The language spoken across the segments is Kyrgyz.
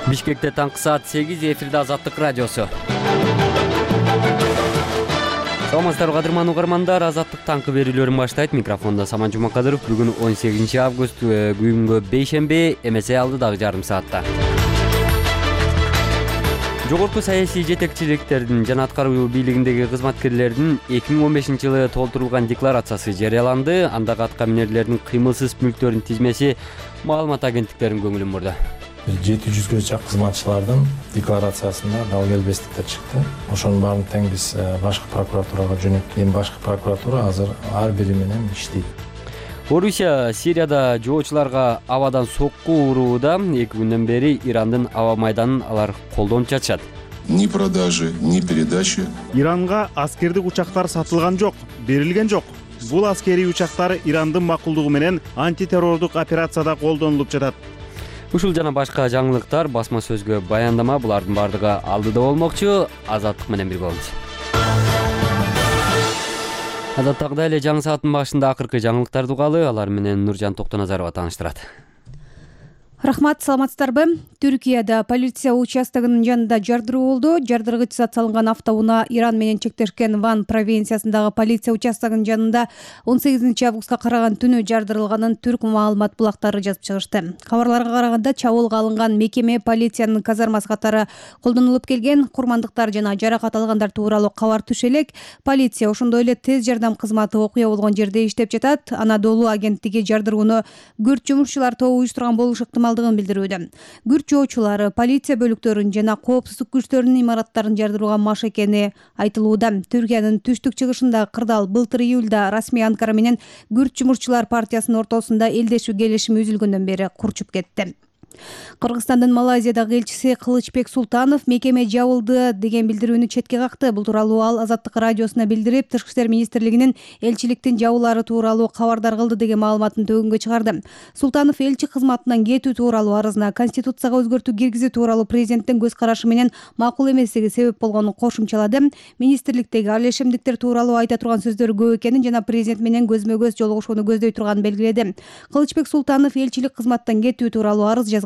Бишкекте таңкы саат 8, эфирде Азаттык радиосу. Саламатсыздарбы кадырман угармандар, Азаттык таңкы берүүлөрүн баштайт. Микрофондо Саман Жумакадыров. Бүгүн 18 август, күнгө бейшемби, эмесе алды дагы жарым саатта. Жогорку саясий жетекчиликтердин жана аткаруу бийлигиндеги кызматкерлердин 2015-жылы толтурулган декларациясы жарыяланды. Андагы атка минерлердин кыймылсыз мүлктөрүнүн тизмеси маалымат агенттиктеринин көңүлүн бурду. 700-гө чакын кызматчылардын декларациясында далгелбестиктер чыкты. Ошонун баарын тең биз башкы прокуратурага жөнөттүк. Эми башкы прокуратура азыр ар бири менен иштейт. Орусия Сирияда жоочуларга абадан сокку урууда. 2 күндөн бери Ирандын аба майданын алар колдонуп жатышат. Ни продажи, ни передачи. Иранга аскердик учактар сатылган жок, берилген жок. Бул аскерий учактар Ирандын макулдугу менен антитеррордук операцияда колдонулуп жатат. Ушул жана башка жаңылыктар басма сөзгө баяндама, булардын бардыгы алдыда болмокчу. Азаттык менен бирге болуңуз. Адаттагыдай эле жаңы сааттын башында акыркы жаңылыктарды угалы, алар менен Нуржан Токтоназарова тааныштырат. Рахмат, саламатсыздарбы? Түркияда полиция участогунун жанында жардыруу болду. Жардыргыч зат салынган автоунаа Иран менен чектешкен Ван провинциясындагы полиция участогунун жанында 18 августка караган түнү жардырылганын түрк маалымат булактары жазып чыгышты. Кабарларга караганда чабуулга алынган мекеме полициянын казармасы катары колдонулуп келген. Курмандыктар жана жаракат алгандар тууралуу кабар түшө элек. Полиция ошондой эле тез жардам кызматы окуя болгон жерде иштеп жатат. Анадолу агенттиги жардырууну күрт жумушчулар тобу уюштурган болушу ыктымалдыгын билдирүүдө. Күрт жоочулары полиция бөлүктөрүн жана коопсуздук күчтөрүнүн имараттарын жардырууга маш экени айтылууда. Түркиянын түштүк чыгышындагы кырдаал былтыр июлда расмий Анкара менен күрт жумушчулар партиясынын ортосунда элдешүү келишими үзүлгөндөн бери курчуп кетти. Кыргызстандын Малайзиядагы элчиси Кылычбек Султанов мекеме жабылды деген билдирүүнү четке какты. Бул тууралуу ал Азаттык радиосуна билдирип, Тышкы иштер министрлигинин элчиликтин жабуулары тууралуу кабардар кылды деген маалыматын төгүнгө чыгарды. Султанов элчи кызматынан кетүү тууралуу арызына Конституцияга өзгөртүү киргизүү тууралуу президенттин көз карашы менен макул эместиги себеп болгонун кошумчалады. Министрликтеги алешемдиктер тууралуу айта турган сөздөрү көп экенин жана президент менен көзмө көз жолугушууну көздөй турганын белгиледи. Кылычбек Султанов элчилик кызматтан кетүү тууралуу арыз 17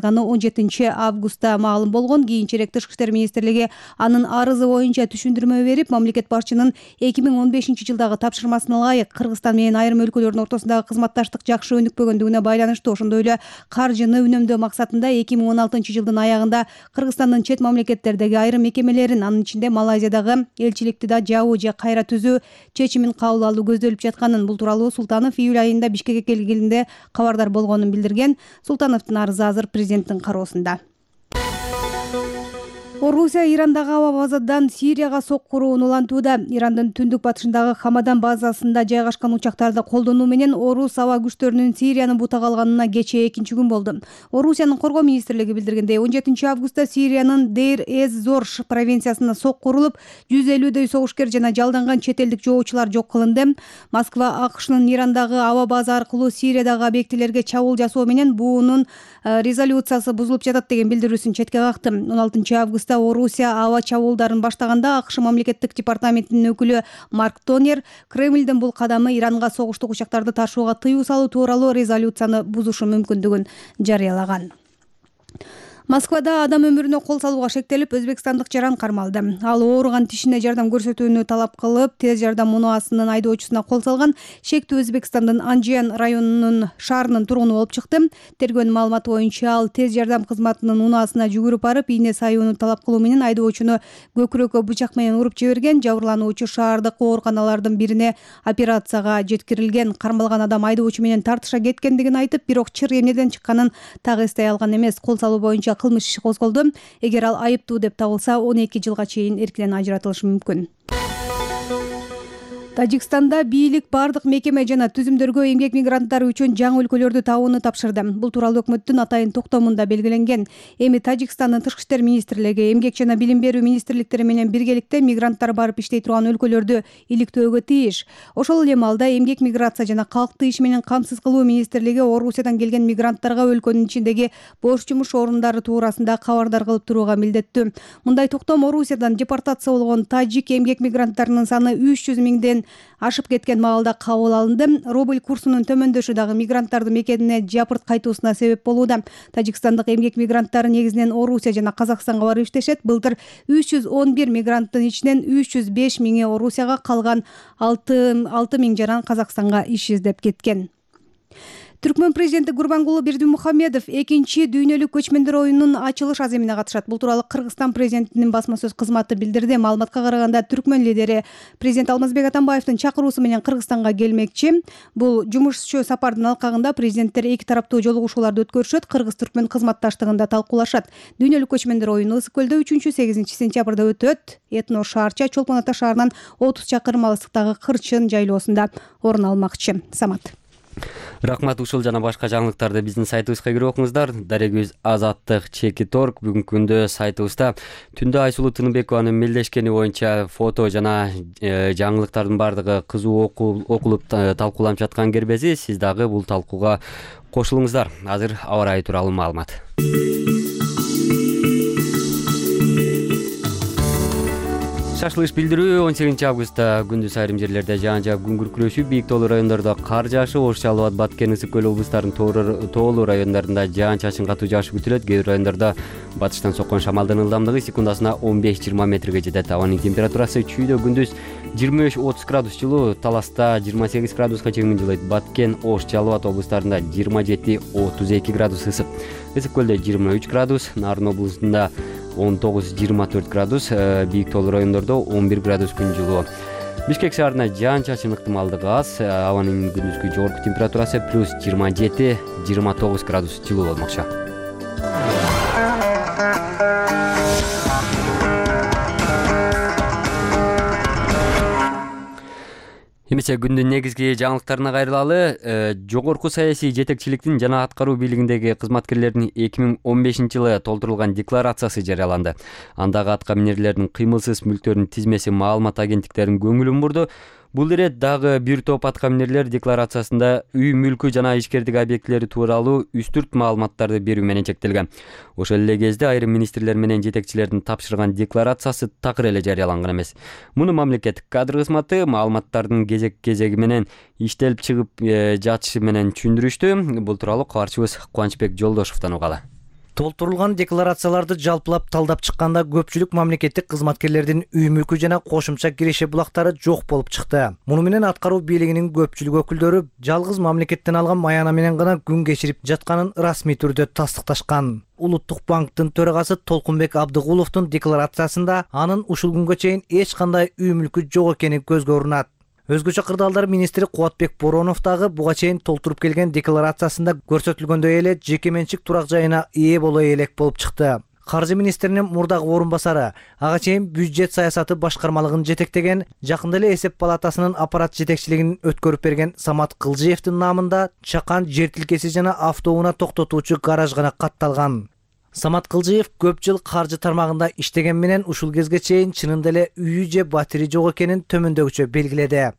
августта маалым болгон. Кийинчерээк Тышкы иштер министрлиги анын арызы боюнча түшүндүрмө берип, мамлекет башчынын 2015-жылдагы тапшырмасына ылайык Кыргызстан менен айрым өлкөлөрдүн ортосундагы кызматташтык жакшы өнүкпөгөндүгүнө байланыштуу, ошондой эле каржыны үнөмдөө максатында 2016-жылдын аягында Кыргызстандын чет мамлекеттердеги айрым мекемелерин, анын ичинде Малайзиядагы элчиликти да жабуу же кайра түзүү чечимин кабыл алуу көздөлүп жатканын. Бул тууралуу Султанов июль айында Бишкекке келгенде кабардар болгонун билдирген. Султановдун арызы азыр президенттин кароосунда. Орусия Ирандагы аба базадан Сирияга соккуруун улантууда. Ирандын түндүк батышындагы Хамадан базасында жайгашкан учактарды колдонуу менен орус аба күчтөрүнүн Сирияны бутак алганына кечээ 2 күн болду. Орусиянын коргоо министрлиги билдиргендей, 17 августта Сириянын Дейр-эз-Зор провинциясына сокку урулуп, 150дөй согушкер жана жалданган чет элдик жоочулар жок кылынды. Москва АКШнын Ирандагы аба база аркылуу Сириядагы объектилерге чабуул жасоо менен буунун резолюциясы бузулуп жатат деген билдирүүсүн четке какты. 16 августта Орусия аба чабуулдарын баштаганда АКШ мамлекеттик департаментинин өкүлү Марк Тонер Кремлдин бул кадамы Иранга согуштук учактарды ташууга тыюу салуу тууралуу резолюцияны бузушу мүмкүндүгүн жарыялаган. Москвада адам өмүрүнө кол салууга шектелип, өзбекстандык жаран кармалды. Ал ооруган тишине жардам көрсөтүүнү талап кылып, тез жардам унаасынын айдоочусуна кол салган. Шектүү Өзбекстандын Анжиян районунун шаарынын тургуну болуп чыкты. Тергөөнүн маалыматы боюнча ал тез жардам кызматынын унаасына жүгүрүп барып, ийне сайууну талап кылуу менен айдоочуну көкүрөккө бычак менен уруп жиберген. Жабырлануучу шаардык ооруканалардын бирине операцияга жеткирилген. Кармалган адам айдоочу менен тартыша кеткендигин айтып, бирок чыр эмнеден чыкканын так эстей алган эмес. Кол салуу боюнча кылмыш иши козголду. Эгер ал айыптуу деп табылса, 12 жылга чейин эркинен ажыратылышы мүмкүн. Тажикстанда бийлик бардык мекеме жана түзүмдөргө эмгек мигранттары үчүн жаңы өлкөлөрдү табууну тапшырды. Бул тууралуу өкмөттүн атайын токтомунда белгиленген. Эми Тажикстандын Тышкы иштер министрлиги эмгек жана билим берүү министрликтери менен биргеликте мигранттар барып иштей турган өлкөлөрдү иликтөөгө тийиш. Ошол эле маалда эмгек миграция жана калкты иш менен камсыз кылуу министрлиги Орусиядан келген мигранттарга өлкөнүн ичиндеги бош жумуш орундары туурасында кабардар кылып турууга милдеттүү. Мындай токтом Орусиядан депортация болгон тажик эмгек мигранттарынын саны 300 миңден менен ашып кеткен маалда кабыл алынды. Рубль курсунун төмөндөшү дагы мигранттардын мекенине жапырт кайтуусуна себеп болууда. Тажикстандык эмгек мигранттары негизинен Орусия жана Казакстанга барып иштешет. Былтыр 311 мигранттын ичинен 305 миңи Орусияга, калган 6 миң жаран Казакстанга иш издеп кеткен. Түркмөн президенти Гурбангулы Бердимухамедов экинчи дүйнөлүк көчмөндөр оюнунун ачылыш аземине катышат. Бул тууралуу Кыргызстан президентинин басма сөз кызматы билдирди. Маалыматка караганда, түркмөн лидери президент Алмазбек Атамбаевдин чакыруусу менен Кыргызстанга келмекчи. Бул жумушчу сапардын алкагында президенттер эки тараптуу жолугушууларды өткөрүшөт, кыргыз-түркмөн кызматташтыгында талкуулашат. Дүйнөлүк көчмөндөр оюну Ысык көлдө 3-8 сентябрда өтөт. Этно шаарча Чолпон Ата шаарынан 30 чакырым алыстыктагы Кырчын жайлоосунда орун алмакчы. Самат. Рахмат. Ушул жана башка жаңылыктарды биздин сайтыбызга кирип окуңуздар. Дарегүз Азаттык Чеки.орг. Бүгүнкү күндө сайтыбызда түндө Айсулуу Тыныбекованын мелдешкени боюнча фото жана жаңылыктардын бардыгы кызуу окулуп талкууланып жаткан кербези. Сиз дагы бул талкууга кошулуңуздар. Азыр аба ырайы тууралуу маалымат. Шашлыш билдирүү 18 августта күндүз айрым жерлерде жаан жаап күн күркүрөшүп, бийик тоолуу райондордо кар жаашып, Ош, Жалал Абад, Баткен, Ысык көл облустарынын тоолуу райондарында жаан чачын катуу жаашы күтүлөт. Кээ бир райондордо батыштан соккон шамалдын ылдамдыгы секундасына 15-20 метрге жетет. Абанын температурасы чүйдө күндүз 23-30 градус жылуу, Таласта 28 градуска чейин жылыйт. Баткен, Ош, Жалал Абад облустарында 27-32 градус ысык. Ысык көлдө 23 градус, Нарын облусунда 19-24 градус, бийик тоолуу райондордо 11 градус күн жылуу. Бишкек шаарында жаан чачын ыктымалдыгы аз, абанын күндүзгү жогорку температурасы плюс 27-29 градус жылуу болмокчу. Эмесе күндүн негизги жаңылыктарына кайрылалы. Жогорку саясий жетекчиликтин жана аткаруу бийлигиндеги кызматкерлердин 2015 жылы толтурулган декларациясы жарыяланды. Андагы атка минерлердин кыймылсыз мүлктөрүнүн тизмеси маалымат агенттиктеринин көңүлүн бурду. Бул ирет дагы бир топ атка минерлер декларациясында үй мүлкү жана ишкердик объектилери тууралуу үстүрт маалыматтарды берүү менен чектелген. Ошол эле кезде айрым министрлер менен жетекчилердин тапшырган декларациясы такыр эле жарыяланган эмес. Муну мамлекеттик кадр кызматы маалыматтардын кезек-кезеги менен иштелип чыгып жатышы менен түшүндүрүштү. Бул тууралуу кабарчыбыз Кубанычбек Жолдошовдон угалы. Толтурулган декларацияларды жалпылап талдап чыкканда көпчүлүк мамлекеттик кызматкерлердин үй мүлкү жана кошумча киреше булактары жок болуп чыкты. Муну менен аткаруу бийлигинин көпчүлүк өкүлдөрү жалгыз мамлекеттен алган маяна менен гана күн кечирип жатканын расмий түрдө тастыкташкан. Улуттук банктын төрагасы Толкунбек Абдыгуловдун декларациясында анын ушул күнгө чейин эч кандай үй мүлкү жок экени көзгө урунат. Өзгөчө кырдаалдар министри Кубатбек Боронов дагы буга чейин толтуруп келген декларациясында көрсөтүлгөндөй эле жеке менчик турак жайына ээ боло элек болуп чыкты. Каржы министринин мурдагы орун басары, ага чейин бюджет саясаты башкармалыгын жетектеген, жакында эле эсеп палатасынын аппарат жетекчилигин өткөрүп берген Самат Кылжиевдин наамында чакан жер тилкеси жана автоунаа токтотуучу гараж гана катталган. Самат Кылжиев көп жыл каржы тармагында иштеген менен ушул кезге чейин чынында эле үйү же батири жок экенин төмөндөгүчө белгиледи.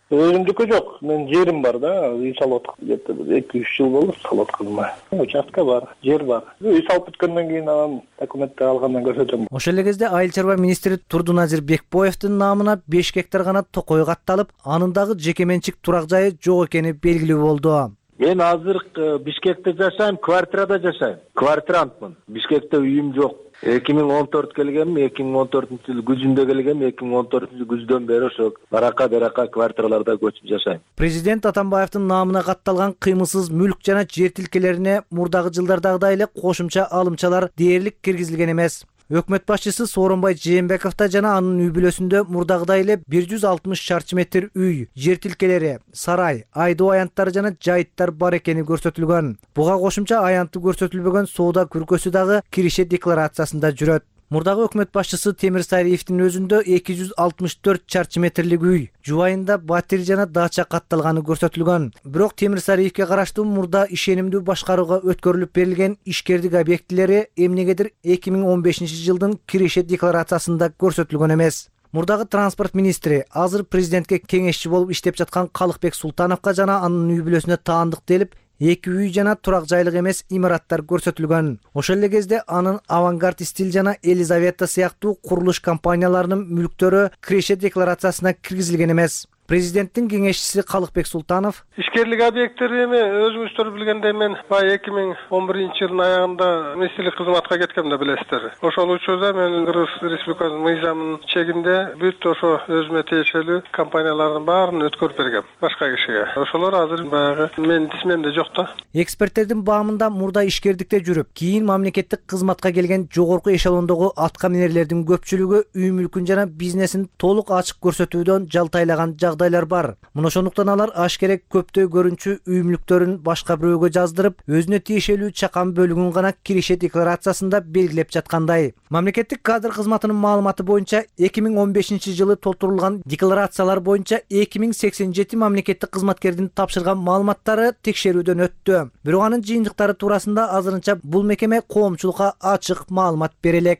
Өзүмдүкү жок, мен жерим бар да, үй салып аткам. 2-3 жыл болду салып атканыма. Участка бар, жер бар. Үй салып бүткөндөн кийин анан документти алгандан көрсөтөм. Ошол эле кезде айыл чарба министри Турдуназир Бекбоевдин наамына 5 гектар гана токой катталып, анын дагы жеке менчик турак жайы жок экени белгилүү болду. Мен азыр Бишкекте жашайм, квартирада жашайм. Квартирантмын. Бишкекте үйүм жок. 2014 келгем, 2014-жылы күзүндө келгем, 2014 күздөн бери ошо барака квартираларда көчүп жашайм. Президент Атамбаевдин наамына катталган кыймылсыз мүлк жана жер тилкелерине мурдагы жылдардагыдай эле кошумча алымчалар дээрлик киргизилген эмес. Өкмөт башчысы Сооронбай Жээнбековдо жана анын үй бүлөсүндө мурдагыдай эле 160 чарчы метр үй, жер тилкелери, сарай, айдоо аянттары жана жайыттар бар экени көрсөтүлгөн. Буга кошумча аянты көрсөтүлбөгөн соода күркөсү дагы киреше декларациясында жүрөт. Мурдагы өкмөт башчысы Темир Сариевдин өзүндө 264 чарчы метрлик үй, жубайында батир жана дача катталганы көрсөтүлгөн. Бирок Темир Сариевге караштуу мурда ишенимдүү башкарууга өткөрүлүп берилген ишкердик объектилери эмнегедир 2015 жылдын киреше декларациясында көрсөтүлгөн эмес. Мурдагы транспорт министри азыр президентке кеңешчи болуп иштеп жаткан Калыкбек Султановго жана анын үй бүлөсүнө таандык делип, 2 үй жана турак жайлык эмес имараттар көрсөтүлгөн. Ошол эле кезде анын Авангард стиль жана Елизавета сыяктуу курулуш компанияларынын мүлктөрү киреше декларациясына киргизилген эмес. Президенттин кеңешчиси Калыкбек Султанов: ишкерлик объекттери эми өзүңүздөр билгендей мен баягы 2011-жылдын аягында министрлик кызматка кеткем да билесиздер. Ошол учурда мен Кыргыз Республикасынын мыйзамынын чегинде бүт ошо өзүмө тиешелүү компаниялардын баарын өткөрүп бергем башка кишиге. Ошолор азыр баягы менин тизмемде жок да. Эксперттердин баамында мурда ишкердикте жүрүп, кийин мамлекеттик кызматка келген жогорку эшелондогу аткаминерлердин көпчүлүгү үй мүлкүн жана бизнесин толук ачык көрсөтүүдөн жалтайлаган жагдайлар бар. Мына ошондуктан алар ашкерек көптөй көрүнчү үй мүлктөрүн башка бирөөгө жаздырып, өзүнө тиешелүү чакан бөлүгүн гана киреше декларациясында белгилеп жаткандай. Мамлекеттик кадр кызматынын маалыматы боюнча 2015-жылы толтурулган декларациялар боюнча 2087 мамлекеттик кызматкердин тапшырган маалыматтары текшерүүдөн өттү. Бирок анын жыйынтыктары туурасында азырынча бул мекеме коомчулукка ачык маалымат бере элек.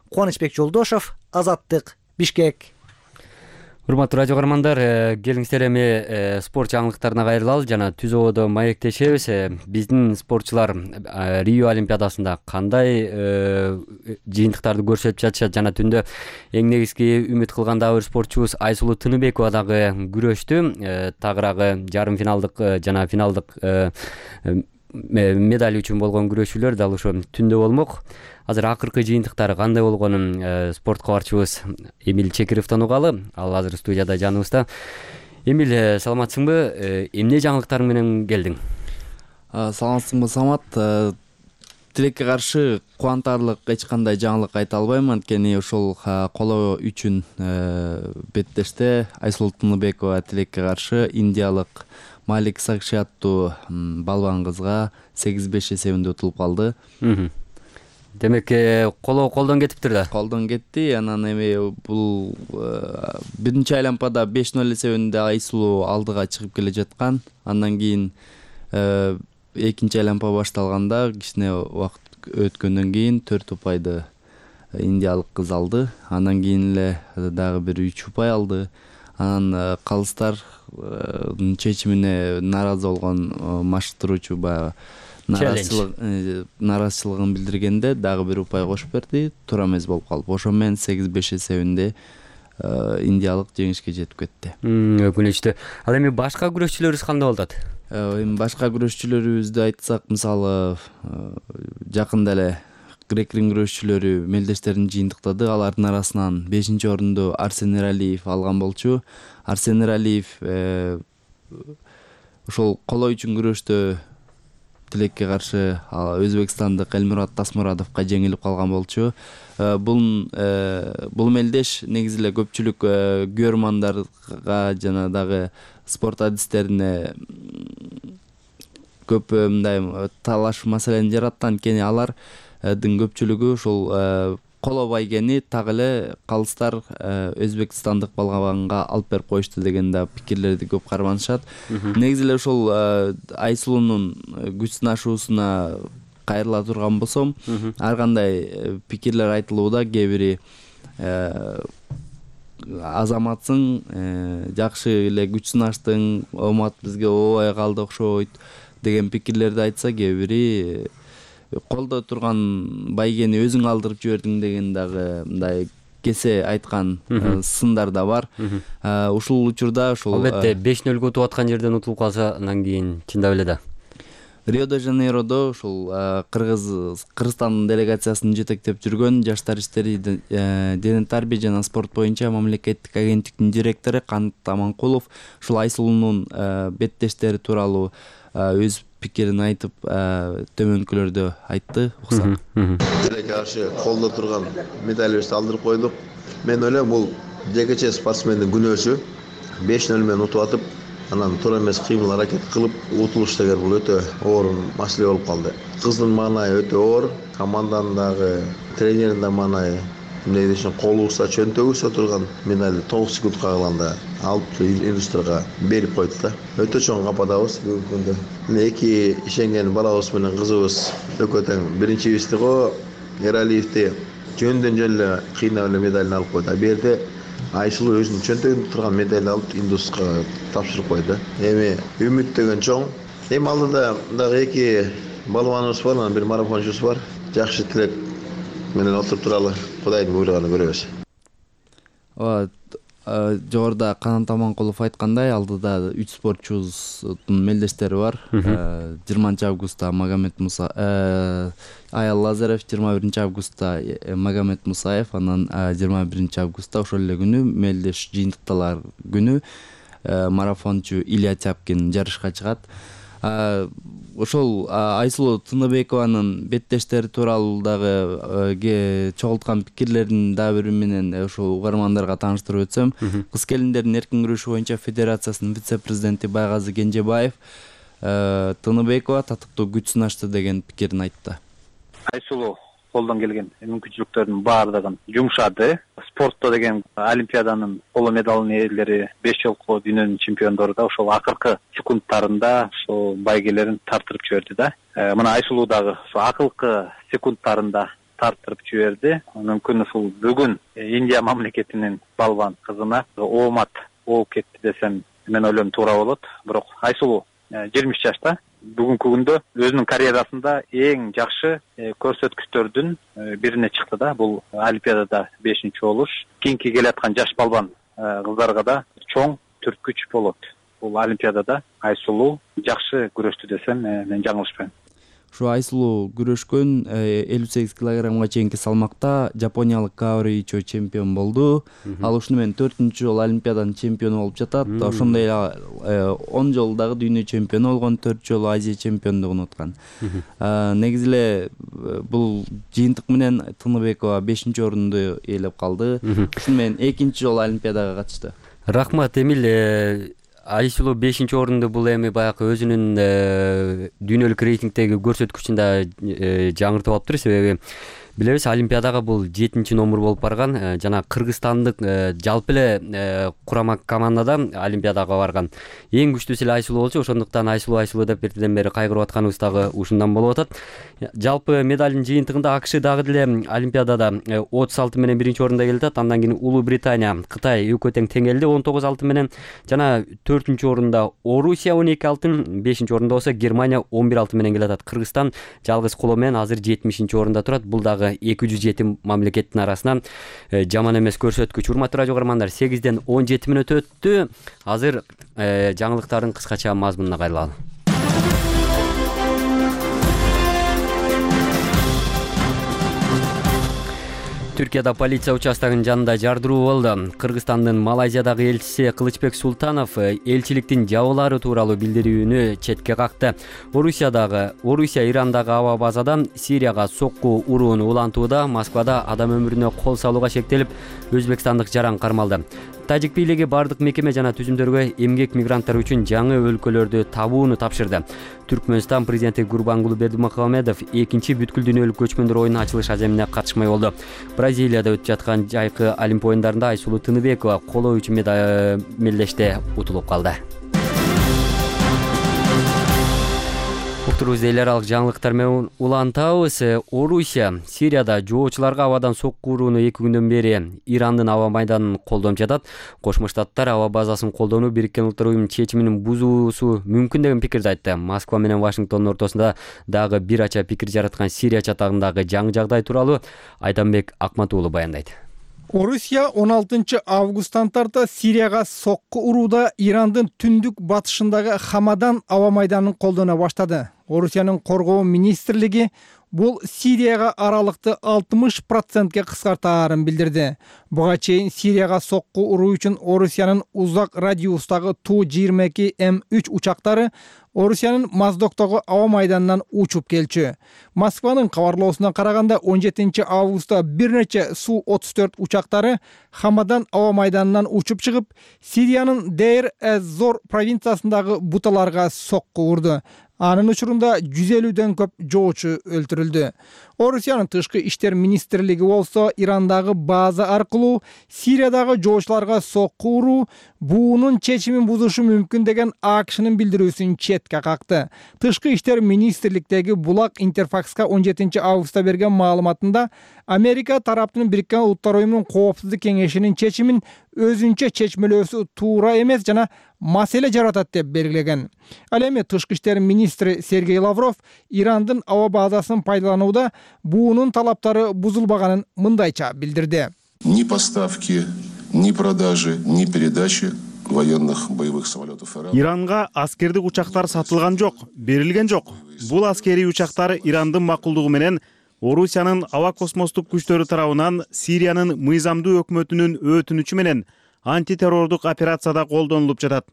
Кубанычбек Жолдошов, Азаттык, Бишкек. Урматтуу радио көрөрмандар, келиңиздер эми спорт жаңылыктарына кайрылалы жана түз ободо маектешебиз. Биздин спортчулар Рио Олимпиадасында кандай жыйынтыктарды көрсөтүп жатышат жана түндө эң негизги үмүт кылган дагы бир спортчубуз Айсулуу Тыныбекова дагы күрөштү. Тагыраагы жарым финалдык жана финалдык медаль үчүн болгон күрөшүүлөр дал ошо түндө болмок. Азыр акыркы жыйынтыктары кандай болгонун спорт кабарчыбыз Эмил Чекировдон угалы. Ал азыр студияда жаныбызда. Эмил, саламатсыңбы? Эмне жаңылыктарың менен келдиң? Саламатсыңбы, Самат? Тилекке каршы кубантарлык эч кандай жаңылык айта албайм, анткени ошол коло үчүн беттеште Айсулуу Тыныбекова тилекке каршы индиялык Малик Сакши аттуу балбан кызга 8-5 эсебинде утулуп калды. Демек, колдон кетиптир да. Колдон кетти. Анан эми бул биринчи айланпада 5-0 эсебинде Айсулуу алдыга чыгып келе жаткан. Андан кийин экинчи айланпа башталганда кичине убакыт өткөндөн кийин 4 упайды индиялык кыз алды. Андан кийин эле дагы бир 3 упай алды. Анан калыстар чечимине нааразы болгон машыктыруучу баягы нааразычылыгын билдиргенде дагы бир упай кошуп берди. Туура эмес болуп калып, ошо менен 8-5 эсебинде индиялык жеңишке жетип кетти. Өкүнүчтүү. Ал эми башка күрөшчүлөрүбүз кандай болуп атат? Эми башка күрөшчүлөрүбүздү айтсак, мисалы жакында эле грек-рим күрөшчүлөрү мелдештерин жыйынтыктады. Алардын арасынан 5-орунду Арсен Эралиев алган болчу. Арсен Эралиев ошол коло үчүн күрөштө тилекке каршы өзбекстандык Элмурат Тасмурадовго жеңилип калган болчу. Бул мелдеш негизи эле көпчүлүк көрөрмандарга жана дагы спорт адистерине көп мындай талаш маселени жаратты, анткени алардын көпчүлүгү ушул коло байгени так эле калыстар өзбекстандык балбанга алып берип коюшту деген да пикирлерди көп карманышат. Негизи эле ушул Айсулуунун күч сынашуусуна кайрыла турган болсом, ар кандай пикирлер айтылууда. Кээ бири азаматсың, жакшы эле күч сынаштың, омат бизге ообай калды окшойт деген пикирлерди айтса, кээ бири колдо турган байгени өзүң алдырып жибердиң деген дагы мындай кесе айткан сындар да бар. Ушул учурда ошол албетте 5-0 утуп аткан жерден утулуп калса, андан кийин чындап эле да. Рио-де-Жанейродо ушул Кыргызстандын делегациясын жетектеп жүргөн жаштар иштери, дене тарбия жана спорт боюнча мамлекеттик агенттиктин директору Канат Аманкулов ушул Айсулуунун беттештери тууралуу өз пикирин айтып, төмөнкүлөрдө айтты. Уксак. Тилекке каршы колдо турган медалыбызды алдырып койдук. Мен ойлойм, бул жекече спортсмендин күнөөсү. 5-0 менен утуп атып, анан туура эмес кыймыл аракет кылып утулуш деген бул өтө оор маселе болуп калды. Кыздын маанайы өтө оор, команданын дагы, тренердин да маанайы. Эмне дешим, колубузда чөнтөгүбүздө турган медальды 9 секундка калганда алып индустрияга берип койду да. Өтө чоң кападабыз бүгүнкү күндө. Эки ишенген балабыз менен кызыбыз экөө тең биринчибизди го Эралиевди жөндөн жөн эле кыйнап эле медалын алып койду. Бу жерде Айсулуу өзүнүн чөнтөгүндө турган медальды алып индустрияга тапшырып койду. Эми үмүт деген чоң. Эми алдыда дагы эки балбаныбыз бар, анан бир марафончубуз бар. Жакшы тилек менен отуруп туралы, Кудайдын буйруганы көрөбүз. жогоруда Канат Аманкулов айткандай, алдыда 3 спортчубуздун мелдештери бар. 20-августта Аял Лазарев, 21-августта Магомед Мусаев, анан 21-августта ошол эле күнү мелдеш жыйынтыкталар күнү марафончу Илья Тяпкин жарышка чыгат. Ошол Айсулуу Тыныбекованын беттештери тууралуу дагы чогулткан пикирлерин дагы бири менен ошол угармандарга тааныштырып өтсөм, кыз келиндердин эркин күрөшү боюнча федерациясынын вице-президенти Байгазы Кенжебаев Тыныбекова татыктуу күч сынашты деген пикирин айтты. Айсулуу колдон келген мүмкүнчүлүктөрдүн баардыгын жумшады. Спортто деген Олимпиаданын коло медалынын ээлери 5 жолку дүйнөнүн чемпиондору да ошол акыркы секундтарында ошол байгелерин тартырып жиберди да. Мына Айсулуу дагы ошол акыркы секундтарында тартырып жиберди. Мүмкүн ушул бүгүн Индия мамлекетинин балбан кызына оомат болуп кетти десем мен ойлойм туура болот. Бирок Айсулуу 20 жашта бүгүнкү күндө өзүнүн карьерасында эң жакшы көрсөткүчтөрдүн бирине чыкты да. Бул Олимпиадада 5-чи болуш. Кийинки келаткан жаш балбан кыздарга да чоң түрткүч болот. Бул Олимпиадада Айсулуу жакшы күрөштү десем мен жаңылышпайм. Ушу Айсулуу күрөшкөн 58 килограммга чейинки салмакта жапониялык Каори Ичо чемпион болду. Ал ушуну менен 4-чү жолу Олимпиаданын чемпиону болуп жатат. Ошондой эле 10 жолу дагы дүйнө чемпиону болгон, 4 жолу Азия чемпиондугун уткан. Негизи эле бул жыйынтык менен Тыныбекова 5-орунду ээлеп калды. Ушуну менен 2-чи жолу Олимпиадага катышты. Рахмат, Эмил. Айсулуу 5-орунду бул эми баягы өзүнүн дүйнөлүк рейтингдеги көрсөткүчүн да жаңыртып алыптыр. Себеби билебиз, Олимпиадага бул 7-чи номер болуп барган. Жана кыргызстандык жалпы эле курама командада Олимпиадага барган эң күчтүүсү эле Айсулуу болчу. Ошондуктан Айсулуу деп бирден бери кайгырып атканыбыз дагы ушундан болуп атат. Жалпы медалдын жыйынтыгында АКШ дагы деле Олимпиадада 36 менен 1-орунда келе атат. Андан кийин Улуу Британия, Кытай экөө тең келди 19 алтын менен. Жана 4-орунда Орусия 12 алтын, 5-орунда болсо Германия 11 алтын менен келе атат. Кыргызстан жалгыз коло менен азыр 70-орунда турат. Бул дагы 207 мамлекеттин арасынан жаман эмес көрсөткүч. Урматтуу радио угармандар, 8-ден 17 мүнөт өттү. Азыр жаңылыктардын кыскача мазмунуна кайрылалы. Түркияда полиция участогунун жанында жардыруу болду. Кыргызстандын Малайзиядагы элчиси Кылычбек Султанов элчиликтин жабылаары тууралуу билдирүүнү четке какты. Орусия Ирандагы аба базадан Сирияга сокку урууну улантууда Москвада адам өмүрүнө кол салууга шектелип, өзбекстандык жаран кармалды. Тажик бийлиги бардык мекеме жана түзүмдөргө эмгек мигранттар үчүн жаңы өлкөлөрдү табууну тапшырды. Түркмөнстан президенти Гурбангулы Бердимухамедов 2-чи бүткүл дүйнөлүк көчмөндөр оюнунун ачылыш аземине катышмай болду. Бразилияда өтүп жаткан жайкы Олимп оюндарында Айсулуу Тыныбекова коло үчүн мелдеште утулуп калды. Уктурубузду эл аралык жаңылыктар менен улантабыз. Орусия Сирияда жоочуларга абадан сокку урууну 2 күндөн бери Ирандын аба майданын колдонуп жатат. Кошмо Штаттар аба базасын колдонуу Бириккен Улуттар Уюмунун чечимин бузуусу мүмкүн деген пикирди айтты. Москва менен Вашингтондун ортосунда дагы бир ача пикир жараткан Сирия чатагындагы жаңы жагдай тууралуу Айданбек Акматуулу баяндайт. Орусия 16 августтан тарта Сирияга сокку урууда Ирандын түндүк батышындагы Хамадан аба майданын колдоно баштады. Орусиянын коргоо министрлиги бул Сирияга аралыкты 60%ке кыскартаарын билдирди. Буга чейин Сирияга сокку уруу үчүн Орусиянын узак радиустагы Ту-22М3 учактары Орусиянын Моздоктогу аба майданынан учуп келчү. Москванын кабарлоосуна караганда 17 августта бир нече Су-34 учактары Хамадан аба майданынан учуп чыгып, Сириянын Дейр-эз-Зор провинциясындагы буталарга сокку урду. Анын учурунда 150дөн көп жоочу өлтүрүлдү. Орусиянын тышкы иштер министрлиги болсо Ирандагы база аркылуу Сириядагы жоочуларга сокку уруу буунун чечимин бузушу мүмкүн деген АКШнын билдирүүсүн четке какты. Тышкы иштер министрликтеги Булак Интерфакска 17 августта берген маалыматында Америка тараптын Бириккен Улуттар Уюмунун коопсуздук кеңешинин чечимин өзүнчө чечмелөөсү туура эмес жана маселе жаратат деп белгилеген. Ал эми тышкы иштер министри Сергей Лавров Ирандын аба базасын пайдаланууда буунун талаптары бузулбаганын мындайча билдирди. Ни поставки ни продажи, ни передачи военных боевых самолетов ИРАН. Иранга аскердик учактар сатылган жок, берилген жок. Бул аскерий учактар Ирандын макулдугу менен Орусиянын аба космостук күчтөрү тарабынан Сириянын мыйзамдуу өкмөтүнүн өтүнүчү менен антитеррордук операцияда колдонулуп жатат.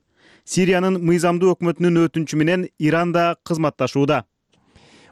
Сириянын мыйзамдуу өкмөтүнүн өтүнүчү менен Иран да кызматташууда.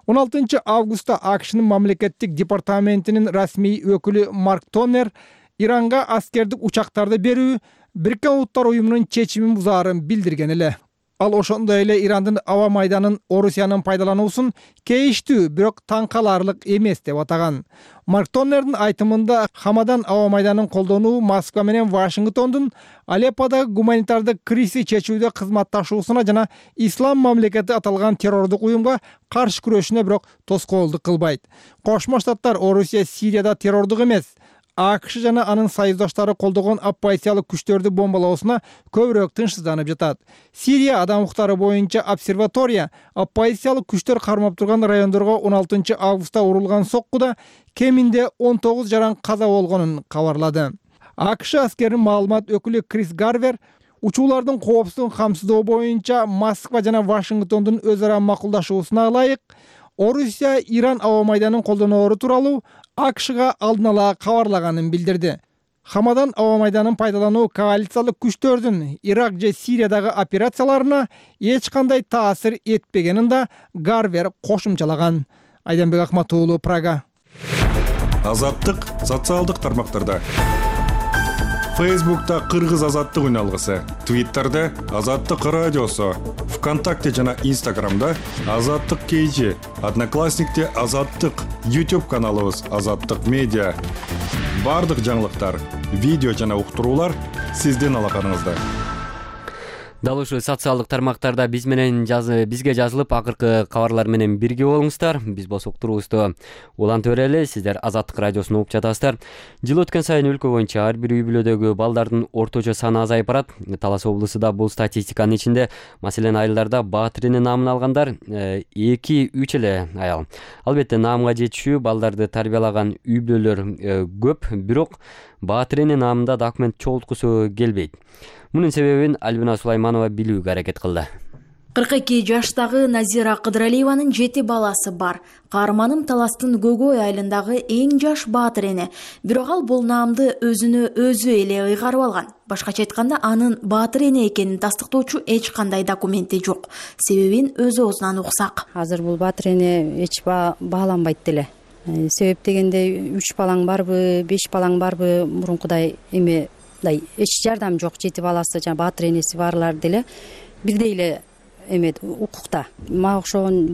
16 августта АКШнын мамлекеттик департаментинин расмий өкүлү Марк Тоннер Иранга аскердик учактарды берүү Бириккен Улуттар уюмунун чечимин бузаарын билдирген эле. Ал ошондой эле Ирандын аба майданын Орусиянын пайдалануусун кейиштүү, бирок таң каларлык эмес деп атаган. Марк Тоннердин айтымында Хамадан аба майданын колдонуу Москва менен Вашингтондун Алепподо гуманитардык кризисти чечүүдө кызматташуусуна жана Ислам мамлекети аталган террордук уюмга каршы күрөшүнө бирок тоскоолдук кылбайт. Кошмо Штаттар Орусия Сирияда террордук эмес, АКШ жана анын союздаштары колдогон оппозициялык күчтөрдү бомбалоосуна көбүрөөк тынчсызданып жатат. Сирия адам укуктары боюнча обсерватория оппозициялык күчтөр кармап турган райондорго 16 августта урулган соккуда кеминде 19 жаран каза болгонун кабарлады. АКШ аскеринин маалымат өкүлү Крис Гарвер учуулардын коопсуздугун камсыздоо боюнча Москва жана Вашингтондун өз ара макулдашуусуна ылайык Орусия Иран аба майданын колдоноору тууралуу АКШга алдын ала кабарлаганын билдирди. Хамадан аба майданын пайдалануу коалициялык күчтөрдүн Ирак же Сириядагы операцияларына эч кандай таасир этпегенин да Гарвер кошумчалаган. Айданбек Акматуулу, Прага. Азаттык социалдык тармактарда. Фейсбукта Кыргыз азаттык үналгысы, Твиттерде Азаттык радиосу, ВКонтакте жана Инстаграмда Азаттык KG, Одноклассникте Азаттык, YouTube каналыбыз Азаттык медиа. Бардык жаңылыктар, видео жана уктуруулар сиздин алаканыңызда. Дал ушул социалдык тармактарда бизге жазылып, акыркы кабарлар менен бирге болуңуздар. Биз болсок уктуруубузду улантып берели. Сиздер Азаттык радиосун угуп жатасыздар. Жыл өткөн сайын өлкө боюнча ар бир үй бүлөдөгү балдардын орточо саны азайып барат. Талас облусу да бул статистиканын ичинде. Маселен, айылдарда Баатырene наамын алгандар 2-3 эле аял. Албетте, наамга жетишүү балдарды тарбиялаган үй бүлөлөр көп, бирок Баатырene наамында документ чогулткусу келбейт. Мунун себебин Альбина Сулайманова билүүгө аракет кылды. 42 жаштагы Назира Кыдыралиеванын 7 баласы бар. Каарманым Таластын Гөгөй айылындагы эң жаш Баатырene. Бирок ал бул наамды өзүнө өзү эле ыйгарып алган. Башкача айтканда, анын Баатырene экенин тастыктоочу эч кандай документи жок. Себебин өз оозунан уксак. Азыр бул Баатырene эч бааланбайт деле. Себеп дегенде 3 балаң барбы, 5 балаң барбы, мурункудай эч жардам жок. 7 баласы жана Баатыренеси барлар деле бирдей эле укукта. Мага окшогон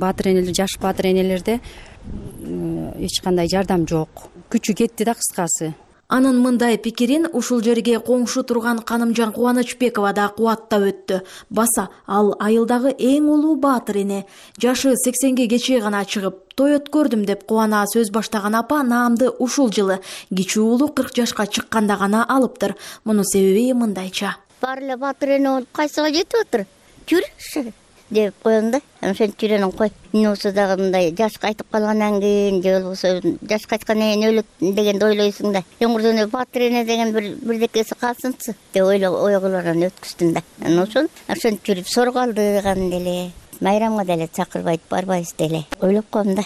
жаш Баатыренелерде эч кандай жардам жок. Күчү кетти да, кыскасы. Анын мындай пикирин ушул жерге коңшу турган Канымжан Кубанычбекова да кубаттап өттү. Баса ал айылдагы эң улуу Баатырene. Жашы 80ге кечээ гана чыгып, той өткөрдүм деп кубана сөз баштаган апа наамды ушул жылы кичүү уулу 40 жашка чыкканда гана алыптыр. Мунун себеби мындайча. Бар эле Баатырene кайсыга жетип отур? Жүрүшү деп коем да. Ошентип жүрөнүн кой. Нусу дагы мындай жаш кайтып калгандан кийин, же болбосо жаш кайткандан кийин өлөт дегенди ойлойсуң да. Өңүрдөн Баатырene деген бирдекеси калсынчы деп ойгорлорун өткүздүм да. Ошентип жүрүп сорго алдыган деле. Майрамга деле чакырбайт, барбайбыз деле. Ойлоп коем да.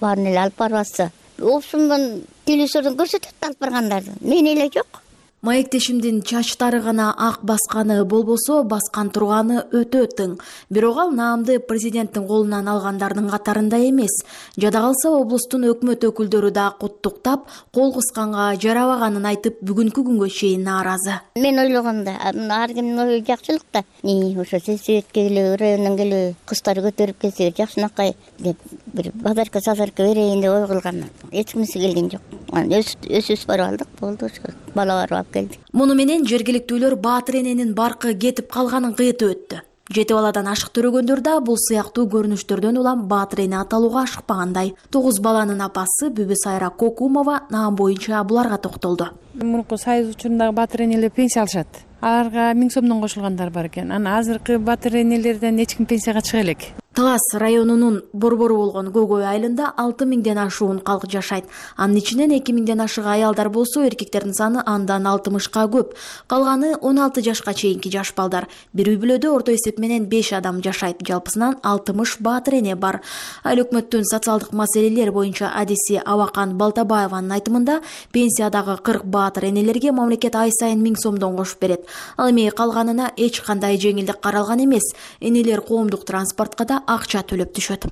Баарын эле алып барбаса, опсумдан телевизордон көрсөтөт алып баргандарды. Мен эле жок. Маектешимдин чачтары гана ак басканы болбосо, баскан турганы өтө тың. Бирок ал наамды президенттин колунан алгандардын катарында эмес. Жада калса облустун өкмөт өкүлдөрү да куттуктап, кол кысканга жарабаганын айтып, бүгүнкү күнгө чейин нааразы. Мен ойлогомда, ар кимдин ою жакшылык да. Ошо сельсоветке келип, райондон келип, кыздарды көтөрүп келсе, жакшынакай деп бир базарка берейин деп ой кылган. Эч кимиси келген жок. Өзүбүз барып алдык, болду ошо. Бала барып келди. Муну менен жергиликтүүлөр Баатырененин баркы кетип калганын кыйтып өттү. 7 баладан ашык төрөгөндөр да бул сыяктуу көрүнүштөрдөн улам Баатырene аталууга ашыкпагандай. 9 баланын апасы Бүбү Сайра Кокумова наам боюнча буларга токтолду. Мурунку союз учурунда Баатыренелер пенсия алышат. аларга 1000 сомдон кошулгандар бар экен. Анан азыркы батыр энелерден эч ким пенсияга чыга элек. Талас районунун борбору болгон Гөгөй айылында 6000ден ашуун калк жашайт. Анын ичинен 2000ден ашык аялдар болсо, эркектердин саны андан 60ка көп. Калганы 16 жашка чейинки жаш балдар. Бир үй бүлөдө орто эсеп менен 5 адам жашайт. Жалпысынан 60 баатыр эне бар. Айыл өкмөттүн социалдык маселелер боюнча адиси Абакан Балтабаеванын айтымында, пенсиядагы 40 баатыр энелерге мамлекет ай сайын 1000 сомдон кошуп берет. Ал эми калганына эч кандай жеңилдик каралган эмес. Энелер коомдук транспортко да акча төлөп түшөт.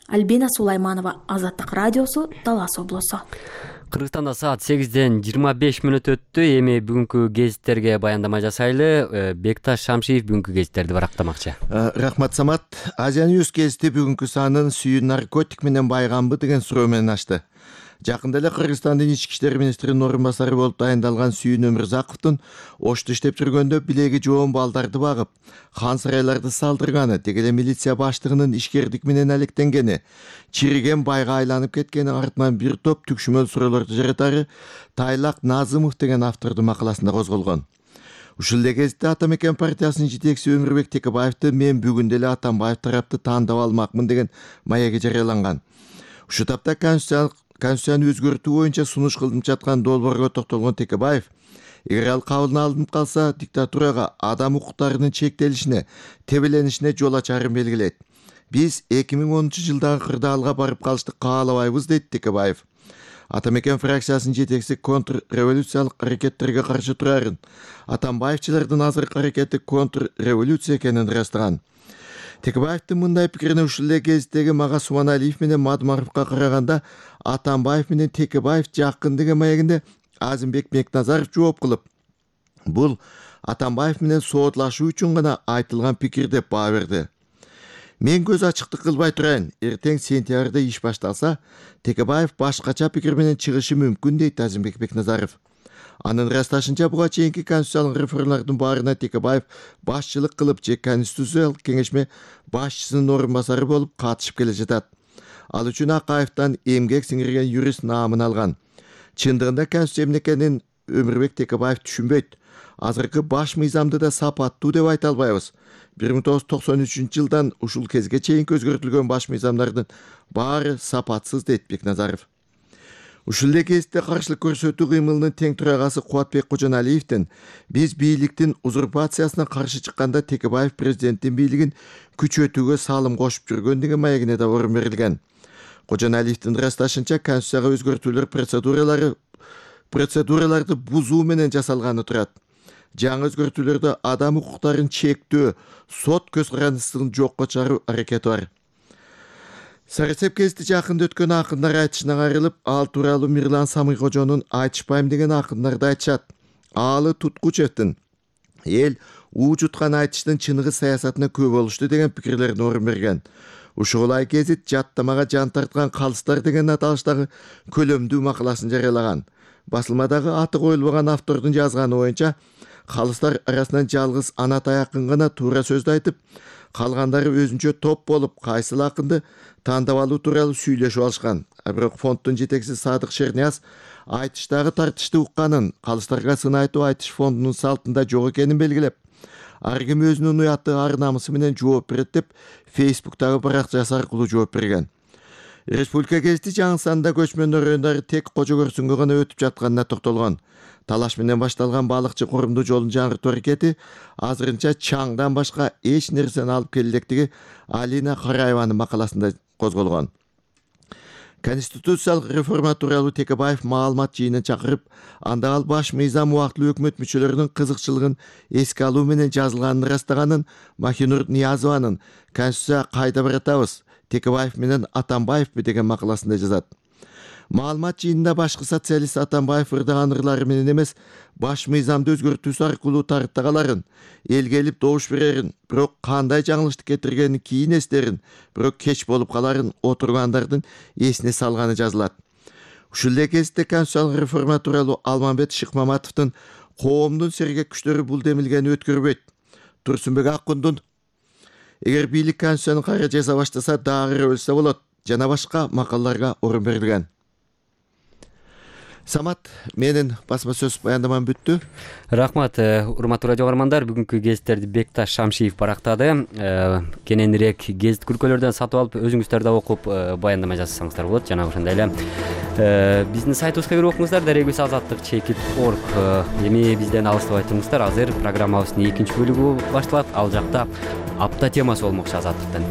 Альбина Сулайманова, Азаттык радиосу, Талас облусу. Кыргызстанда саат 8ден 25 мүнөт өттү. Эми бүгүнкү гезиттерге баяндама жасайлы. Бекташ Шамшиев бүгүнкү гезиттерди барактамакчы. Рахмат Самат. Азия Ньюс гезити бүгүнкү санын сүйүү наркотик менен байганбы деген суроо менен ачты. Жакында эле Кыргызстандын ички иштер министринин орун басары болуп дайындалган Сүйүн Өмүрзаковдун Ошто иштеп жүргөндө билеги жоон балдарды багып, хан сарайларды салдырганы, деги эле милиция баштыгынын ишкердик менен алектенгени, чириген байга айланып кеткени артынан бир топ түкшүмөл суроолорду жаратары Тайлак Назымов деген автордун макаласында козголгон. Ушул эле кезде Ата Мекен партиясынын жетекчиси Өмүрбек Текебаевди мен бүгүн деле Атамбаев тарапты тандап алмакмын деген маяги жарыяланган. Ушу тапта Конституцияны өзгөртүү боюнча сунуш кылынып жаткан долбоорго токтолгон Текебаев, эгер ал кабыл алынып калса, диктатурага, адам укуктарынын чектелишине, тебеленишине жол ачарын белгилейт. Биз 2010-жылдагы кырдаалга барып калышты каалабайбыз, дейт Текебаев. Ата Мекен фракциясынын жетекчиси контрреволюциялык аракеттерге каршы турарын, Атамбаевчылардын азыркы аракети контрреволюция экенин ырастаган. Текебаевдин мындай пикирине ушул эле кездеги Мага Субаналиев менен Мадмаровго караганда Атамбаев менен Текебаев жакын деген маегинде Азимбек Мекназаров жооп кылып, бул Атамбаев менен соодлашуу үчүн гана айтылган пикир деп баа берди. Мен көз ачыктык кылбай турайын, эртең сентябрда иш башталса, Текебаев башкача пикир менен чыгышы мүмкүн, дейт Азимбек Мекназаров. Анын ырасташынча буга чейинки конституциялык реформалардын баарына Текебаев башчылык кылып же конституциялык кеңешме башчысынын орун басары болуп катышып келе жатат. Ал үчүн Акаевден эмгек сиңирген юрист наамын алган. Чындыгында конституция эмне экенин Өмүрбек Текебаев түшүнбөйт. Азыркы баш мыйзамды да сапаттуу деп айта албайбыз. 1993-жылдан ушул кезге чейин өзгөртүлгөн баш мыйзамдардын баары сапатсыз, дейт Бекназаров. Ушул эле кезде каршылык көрсөтүү кыймылынын тең төрагасы Кубатбек Кожоналиевдин биз бийликтин узурпациясына каршы чыкканда Текебаев президенттин бийлигин күчөтүүгө салым кошуп жүргөн деген маегине да орун берилген. Кожоналиевдин ырасташынча конституцияга өзгөртүүлөр процедураларды бузуу менен жасалганы турат. Жаңы өзгөртүүлөрдө адам укуктарын чектөө, сот көз карандысын жокко чыгаруу аракети бар. Сарысеп кезди жакында өткөн акындар айтышынан айрылып, ал тууралуу Мирлан Самыйкожонун айтышпайм деген акындарды айтышат. Аалы Туткучевдин эл уу жуткан айтыштын чыныгы саясатына көп болушту деген пикирлерин орун берген. Ушул гезит жаттамага жан тарткан калыстар деген аталыштагы көлөмдүү макаласын жарыялаган. Басылмадагы аты коюлбаган автордун жазганы боюнча, калыстар арасынан жалгыз Анатай акын гана туура сөздү айтып, калгандары өзүнчө топ болуп, кайсыл акынды тандап алуу тууралуу сүйлөшүп алышкан. Бирок фонддун жетекчиси Садык Шернияз айтыштагы тартышты укканын, калыстарга сын айтуу айтыш фондунун салтында жок экенин белгилеп, ар ким өзүнүн уяты ар намысы менен жооп берет деп Фейсбуктагы баракчасы аркылуу жооп берген. Республика гезити жаңы санда көчмөндөр райондары тек Кожо Көрсүнгө гана өтүп жатканына токтолгон. Талаш менен башталган балыкчы корумдуу жолун жаңыртуу аракети азырынча чаңдан башка эч нерсени алып келе электиги Алина Караеванын макаласында козголгон. Конституциялык реформа тууралуу Текебаев маалымат жыйынын чакырып, анда ал баш мыйзам убактылуу өкмөт мүчөлөрүнүн кызыкчылыгын эске алуу менен жазылганын ырастаганын Махинур Ниязованын «Конституция кайда баратабыз? Текебаев менен Атамбаевпи» деген макаласында жазат. Маалымат жыйынында башкы социалист Атамбаев ырдаган ырлары менен эмес, баш мыйзамды өзгөртүүсү аркылуу тарттагаларын, элге келип добуш берерин, бирок кандай жаңылыштык кетиргенин кийин эстерин, бирок кеч болуп каларын отургандардын эсине салганы жазылат. Ушул эле кезде конституциялык реформа тууралуу Алмамбет Шыкмаматовдун коомдун сергек күчтөрү бул демилгени өткөрбөйт. Турсунбек Аккундун эгер бийлик конституцияны кайра жаза баштаса дагы өлсө болот жана башка макалаларга орун берилген. Самат, менин басма сөз баяндамам бүттү. Рахмат, урматтуу радио каармандар, бүгүнкү гезиттерди Бекташ Шамшиев барактады. Кененирээк гезит күркөлөрдөн сатып алып, өзүңүздөр да окуп баяндама жазсаңыздар болот. Жана ошондой эле биздин сайтыбызга кирип окуңуздар, дарегибиз azattik.org. Эми бизден алыстабай туруңуздар. Азыр программабыздын 2-бөлүгү башталат. Ал жакта апта темасы болмокчу Азаттыктан.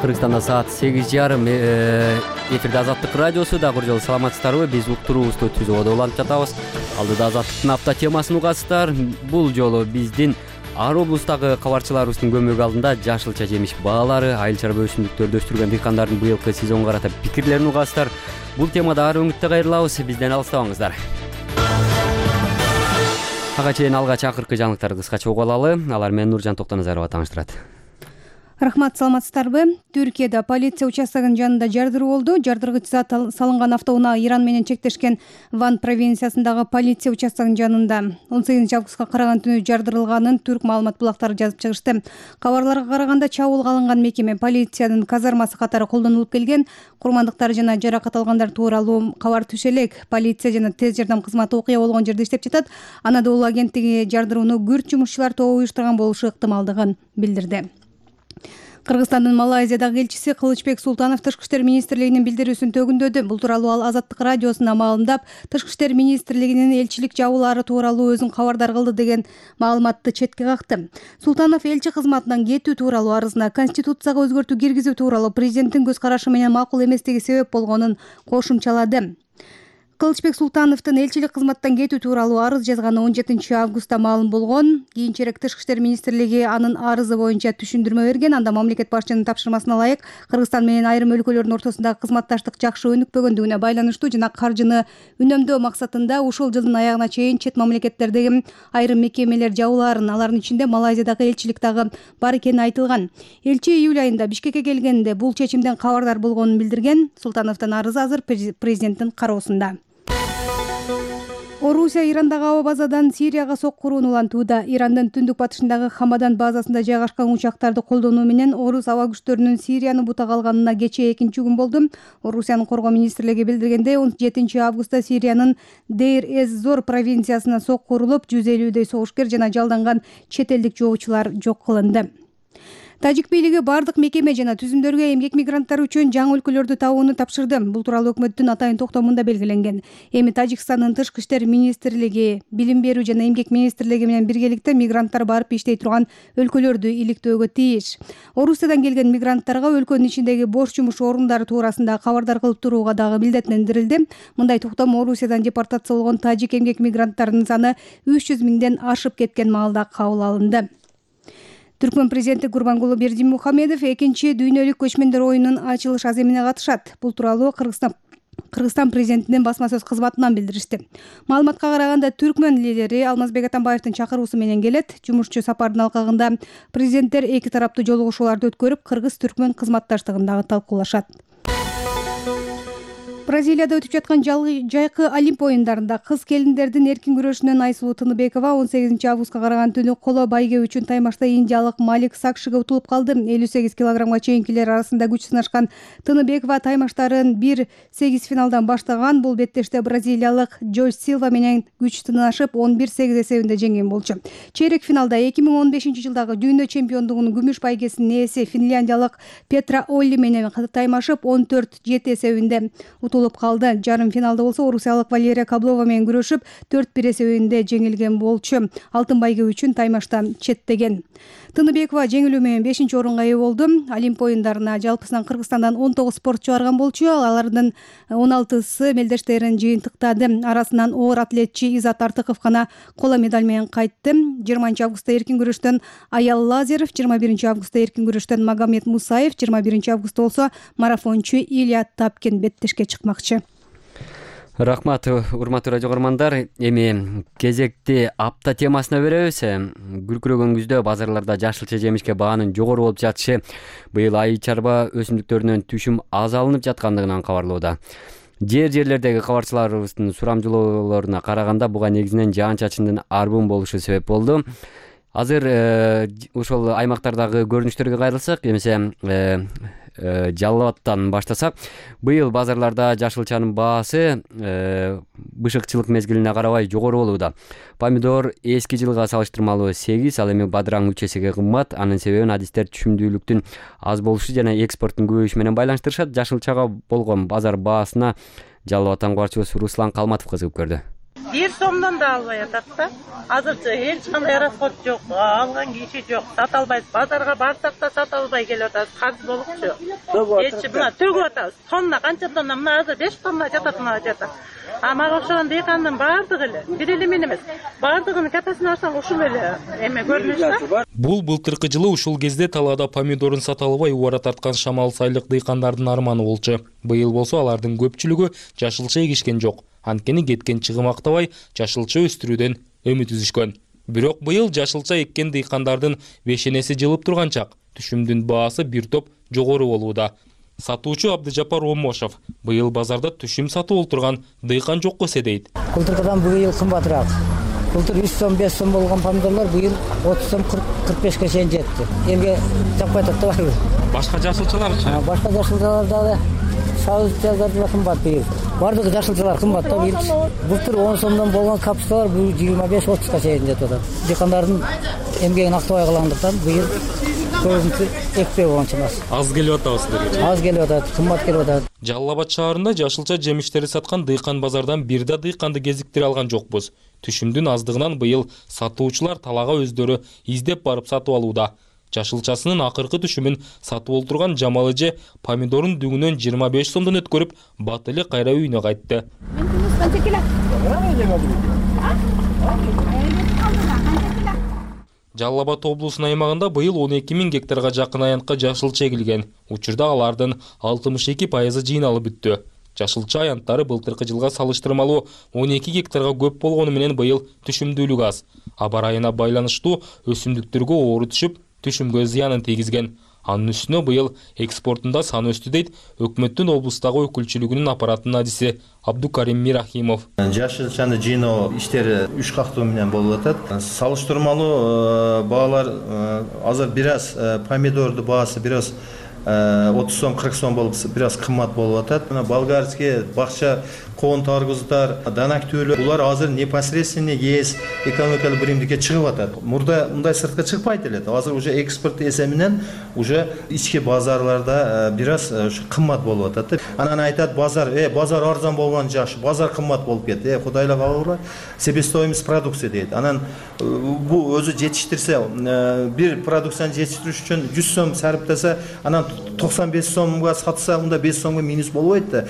Кыргызстанда саат 8:30. Эфирде Азаттык радиосу. Дагы бир жолу саламатсыздарбы? Биз уктуруубузду түзүүгө улантып жатабыз. Алдыда Азаттыктын апта темасын угасыздар. Бул жолу биздин ар облустагы кабарчыларыбыздын көмөгү алдында жашылча жемиш баалары, айыл чарба өсүмдүктөрдү өстүргөн дыйкандардын быйылкы сезонго карата пикирлерин угасыздар. Бул темада ар өңүттө кайрылабыз. Бизден алыстабаңыздар. Ага чейин алгач акыркы жаңылыктарды кыскача угуп алалы. Алар менен Нуржан Токтоназарова тааныштырат. Рахмат, саламатсыздарбы? Түркияда полиция участогынын жанында жардыруу болду. Жардыргыч зат салынган автоунаа Иран менен чектешкен Ван провинциясындагы полиция участогынын жанында 18 августка караган түнү жардырылганын түрк маалымат булактары жазып чыгышты. Кабарларга караганда чабуулга алынган мекеме полициянын казармасы катары колдонулуп келген. Курмандыктар жана жаракат алгандар тууралуу кабар түшө элек. Полиция жана тез жардам кызматы окуя болгон жерде иштеп жатат. Анадолу агенттиги жардырууну күрт жумушчулар тобу уюштурган болушу ыктымалдыгын билдирди. Кыргызстандын Малайзиядагы элчиси Кылычбек Султанов Тышкы иштер министрлигинин билдирүүсүн төгүндөдү. Бул тууралуу ал Азаттык радиосуна маалымдап, Тышкы иштер министрлигинин элчилик жабуулары тууралуу өзүн кабардар кылды деген маалыматты четке какты. Султанов элчи кызматынан кетүү тууралуу арызына конституцияга өзгөртүү киргизүү тууралуу президенттин көз карашы менен макул эместиги себеп болгонун кошумчалады. Кылычбек Султановдун элчилик кызматтан кетүү тууралуу арыз жазганы 17 августта маалым болгон. Кийинчерээк Тышкы иштер министрлиги анын арызы боюнча түшүндүрмө берген. Анда мамлекет башчынын тапшырмасына ылайык Кыргызстан менен айрым өлкөлөрдүн ортосундагы кызматташтык жакшы өнүкпөгөндүгүнө байланыштуу жана каржыны үнөмдөө максатында ушул жылдын аягына чейин чет мамлекеттердеги айрым мекемелер жабуулаарын, алардын ичинде Малайзиядагы элчилик дагы бар экени айтылган. Элчи июль айында Бишкекке келгенде бул чечимден кабардар болгонун билдирген. Султановдун арызы азыр президенттин кароосунда. Орусия Ирандагы аба базадан Сирияга соккуруун улантууда. Ирандын түндүк батышындагы Хамадан базасында жайгашкан учактарды колдонуу менен орус аба күчтөрүнүн Сирияны бутага алганына кечээ 2-күн болду. Орусиянын коргоо министрлиги билдиргендей, 17 августта Сириянын Дейр-эз-Зор провинциясына соккурулуп, 150дөй согушкер жана жалданган чет элдик жоочулар жок кылынды. Тажик бийлиги бардык мекеме жана түзүмдөргө эмгек мигранттары үчүн жаңы өлкөлөрдү табууну тапшырды. Бул тууралуу өкмөттүн атайын токтомунда белгиленген. Эми Тажикстандын Тышкы иштер министрлиги, Билим берүү жана эмгек министрлиги менен биргеликте мигранттар барып иштей турган өлкөлөрдү иликтөөгө тийиш. Орусиядан келген мигранттарга өлкөнүн ичиндеги бош жумуш орундары туурасында кабардар кылып турууга дагы милдеттендирилди. Мындай токтом Орусиядан депортация болгон тажик эмгек мигранттарынын саны 300 миңден ашып кеткен маалда кабыл алынды. Түркмөн президенти Гурбангулы Бердимухамедов 2-чи дүйнөлүк көчмөндөр оюнунун ачылыш аземине катышат. Бул тууралуу Кыргызстан президентинин басма сөз кызматынан билдиришти. Маалыматка караганда Түркмөн лидери Алмазбек Атамбаевдин чакыруусу менен келет. Жумушчу сапардын алкагында президенттер эки тараптуу жолугушууларды өткөрүп, кыргыз-түркмөн кызматташтыгын дагы талкуулашат. Бразилияда өтүп жаткан жайкы Олимп оюндарында кыз келиндердин эркин күрөшүнөн Айсулуу Тыныбекова 18 августка караган түнү коло байге үчүн таймашта индиялык Малик Сакшиге утулуп калды. 58 килограммга чейинкилер арасында күч сынашкан Тыныбекова таймаштарын 1-8 финалдан баштаган. Бул беттеште бразилиялык Джойс Силва менен күч сынашып 11-8 эсебинде жеңген болчу. Чейрек финалда 2015 жылдагы дүйнө чемпиондугунун күмүш байгесинин ээси финляндиялык Петра Олли менен таймашып 14-7 эсебинде утулуп калды. Жарым финалда болсо орусиялык Валерия Каблова менен күрөшүп 4-1 эсебинде жеңилген болчу. Алтын байге үчүн таймаштан четтеген. Тыныбекова жеңилүү менен 5-орунга ээ болду. Олимп оюндарына жалпысынан Кыргызстандан 19 спортчу барган болчу. Алардын 16сы мелдештерин жыйынтыктады. Арасынан оор атлетчи Изат Артыков гана коло медаль менен кайтты. 20 августта эркин күрөштөн Аял Лазеров, 21 августта эркин күрөштөн Магомед Мусаев, 21 августта болсо марафончу Илья Тапкин беттешке чыкмакчы. Рахмат, урматтуу радио көрөрмандар. Эми кезекти апта темасына беребиз. Күркүрөгөн күздө базарларда жашылча жемишке баанын жогору болуп жатышы быйыл айыл чарба өсүмдүктөрүнөн түшүм аз алынып жаткандыгынан кабарлоодо. Жерлердеги кабарчыларыбыздын сурамжылоолоруна караганда буга негизинен жаан-чачындын арбын болушу себеп болду. Азыр ошол аймактардагы көрүнүштөргө кайрылсак, эмесе Жалал Абадтан баштасак, быйыл базарларда жашылчанын баасы бышыкчылык мезгилине карабай жогору болууда. Помидор эски жылга салыштырмалуу 8, ал эми бадыраң 3 эсеге кымбат. Анын себебин адистер түшүмдүүлүктүн аз болушу жана экспорттун көбөйүшү менен байланыштырышат. Жашылчага болгон базар баасына Жалал Абадтан кабарчыбыз Руслан Калматов кызыгып көрдү. 1 сомдон да албай атат да. Азырчы эч кандай расход жок, алган киши жок, сата албайбыз. Базарга барсак да сата албай келип атабыз. Карыз болупчу. Эч мына төгүп атабыз. Тонна канча тонна? Мына азыр 5 тонна жатат, мына жатат. Мага окшогон дыйкандын баардыгы эле, бир эле мен эмес, баардыгынын катасын алсаң ушул эле эме көрүнүш да. Бул былтыркы жылы ушул кезде талаада помидорун сата албай убара тарткан Шамал Сайлык дыйкандардын арманы болчу. Быйыл болсо алардын көпчүлүгү жашылча эгишкен жок. Анткени кеткен чыгым актабай жашылча өстүрүүдөн үмүт үзүшкөн. Бирок быйыл жашылча эккен дыйкандардын бешенеси жылып турган чак. Түшүмдүн баасы бир топ жогору болууда. Сатуучу Абдыжапар Омошов быйыл базарда түшүм сатып олтурган дыйкан жокко эседейт. Былтыркыдан быйыл кымбатыраак. Былтыр 3 сом 5 сом болгон помидорлор быйыл 30 сом 45ке чейин жетти. Элге жакпай атат да барбы? Башка жашылчаларчы? Башка жашылчалар дагы сабыз да кымбат быйыл. Бардыгы жашылчалар кымбат да быйыл. Былтыр 10 сомдон болгон капусталар быйыл 25-30ка чейин жетип атат. Дыйкандардын эмгегин актабай калгандыктан быйыл көбүнчө экпей болгон чамасы. Аз келип атабы силерге? Аз келип атат, кымбат келип атат. Жалал Абад шаарында жашылча жемиштерди саткан дыйкан базардан бир да дыйканды кезиктире алган жокпуз. Түшүмдүн аздыгынан быйыл сатуучулар талаага өздөрү издеп барып сатып алууда. Жашылчасынын акыркы түшүмүн сатып олтурган Жамал эже помидорун дүңүнөн 25 сомдон өткөрүп, бат эле кайра үйүнө кайтты. Жалал Абад облусунун аймагында быйыл 12 000 гектарга жакын аянтка жашылча эгилген. Учурда алардын 62% жыйналып бүттү. Жашылча аянттары былтыркы жылга салыштырмалуу 12 гектарга көп болгону менен быйыл түшүмдүүлүк аз. Аба ырайына байланыштуу өсүмдүктөргө оору түшүп, түшүмгө зыянын тийгизген. Анын үстүнө быйыл экспортунда сан өстү дейт өкмөттүн облустагы өкүлчүлүгүнүн аппаратынын адиси Абдукарим Мирахимов. Жашылчаны жыйноо иштери 3 кактуу менен болуп атат. Салыштырмалуу баалар азыр бир аз помидорду баасы бир аз 30 сом 40 сом болуп бир аз кымбат болуп атат. Мына болгарский бакча коон таргуздар, данак түөлөр булар азыр непосредственно ЕС экономикалык биримдикке чыгып атат. Мурда мындай сыртка чыкпайт эле. Азыр уже экспорт эсебинен уже ички базарларда бир аз кымбат болуп атат. Анан айтат базар арзан болгон жакшы, базар кымбат болуп кетти. Кудайла кабылгыла. Себестоимость продукции дейт. Анан бу өзү жетиштирсе, бир продукцияны жетиштириш үчүн 100 сом сарптаса, анан 95 сомго сатса, унда 5 сомго минус болбойт да.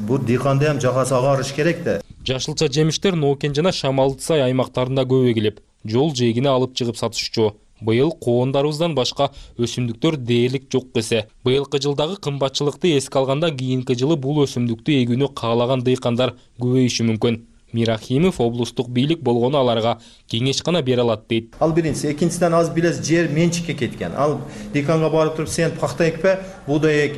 Бу дыйканда ham жагасы агарыш керек да. Жашылча жемиштер Нокен жана Шамалдысай аймактарында көп эгилип, жол жээгине алып чыгып сатышчу. Быйыл коондарыбыздан башка өсүмдүктөр дээрлик жок десе. Быйылкы жылдагы кымбатчылыкты эске алганда кийинки жылы бул өсүмдүктү эгүүнү каалаган дыйкандар көбөйүшү мүмкүн. Мирахимов облустук бийлик болгону аларга кеңеш гана бере алат дейт. Ал биринчиси, экинчиден аз билес жер менчикке кеткен. Ал дыйканга барып туруп сен пахта экпе, буудай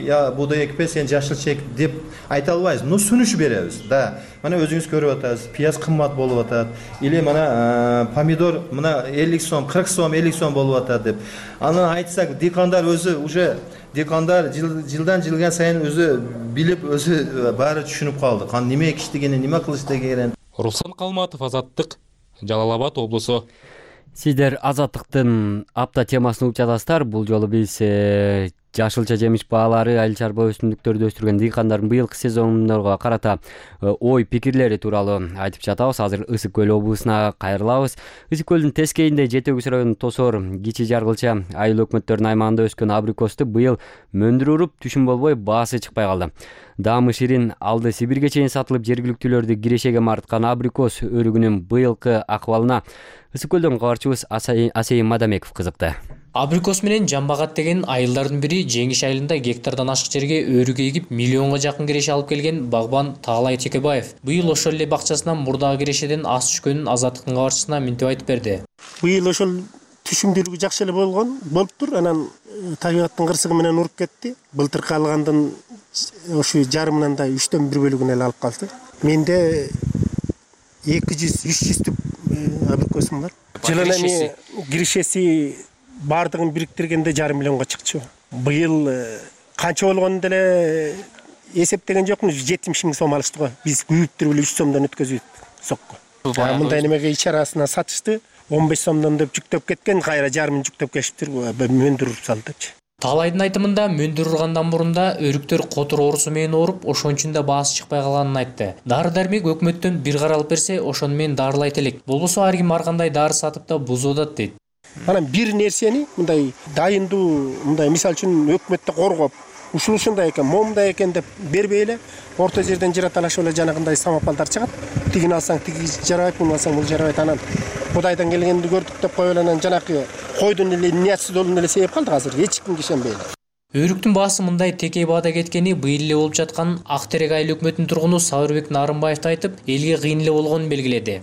экпе, сен жашылча эк деп айта албайбыз. Ну сүнүш беребиз. Да. Мына өзүңүз көрүп атасыз, пияз кымбат болуп атат. Или мына помидор мына 50 сом, 40 сом, 50 сом болуп атат деп. Аны айтсак, дыйкандар өзү уже дыйкандар жылдан жылга сайын өзү билип, өзү баары түшүнүп калды. Кан неме экиштигини, неме кылыш дегенин. Руслан Калматов, Азаттык, Жалал Абад облусу. Сиздер Азаттыктын апта темасын угуп жатасыздар. Бул жолу биз жашылча жемиш баалары, айыл чарба өсүмдүктөрдү өстүргөн дыйкандардын быйылкы сезондорго карата ой пикирлери тууралуу айтып жатабыз. Азыр Ысык көл облусуна кайрылабыз. Ысык көлдүн тескейинде Жети Өгүз районунун Тосор, Кичи Жаргылча айыл өкмөттөрүнүн аймагында өскөн абрикосту быйыл мөндүр уруп, түшүм болбой баасы чыкпай калды. Даамы ширин алды Сибирге чейин сатылып, жергиликтүүлөрдү кирешеге марткан абрикос өрүгүнүн быйылкы акыбалына Ысык көлдөн кабарчыбыз Асейин Мадамеков кызыкты. Абрикос менен жамбагат деген айылдардын бири Жеңиш айылында гектардан ашык жерге өрүк эгип, миллионго жакын киреше алып келген багбан Таалай Текебаев быйыл ошол эле бакчасынан мурдагы кирешеден аз түшкөнүн Азаттыктын кабарчысына минтип айтып берди. Быйыл ошол түшүмдүүлүгү жакшы эле болуптур. Анан табигаттын кырсыгы менен уруп кетти. Былтыркы алгандын Ошо жарымынан да 3/1 бөлүгүн эле алып калды. Менде 200-300 түп абрикосум бар. Жылына эми киришеси бардыгын бириктиргенде 1,5 миллионго чыкчу. Быйыл канча болгонун деле эсептеген жокмун, 70 000 сом алышты го. Биз күйүптүр эле 3 сомдон өткөзүп сокко. Мындай немеге ич арасына сатышты. 15 сомдон деп жүктөп кеткен, кайра жарымын жүктөп келиптир, мөндүрүп салдычы. Таалайдын айтымында мөндүр ургандан мурунда өрүктөр котур оорусу менен ооруп, ошон үчүн да баасы чыкпай калганын айтты. Дары-дармек өкмөттөн бир каралып берсе, ошону менен дарылайт элек. Болбосо ар ким ар кандай дары сатып да бузуп атат дейт. Анан бир нерсени мындай дайындуу, мындай мисалы үчүн өкмөттө коргоп, ушундай экен, момундай экен деп бербей эле орто жерден жыраталашып эле жанагындай самопалдар чыгат. Тигини алсаң тиги жарабайт, муну алсаң бул жарабайт. Анан Кудайдан келгенди көрдүк деп коюп эле анан жанакы койдун эле ниясыздуулугун эле сейип калдык азыр. Эч кимге ишенбей эле. Өрүктүн баасы мындай текей баада кеткени быйыл эле болуп жатканын Ак Терек айыл өкмөтүнүн тургуну Сабырбек Нарымбаев айтып, элге кыйын эле болгонун белгиледи.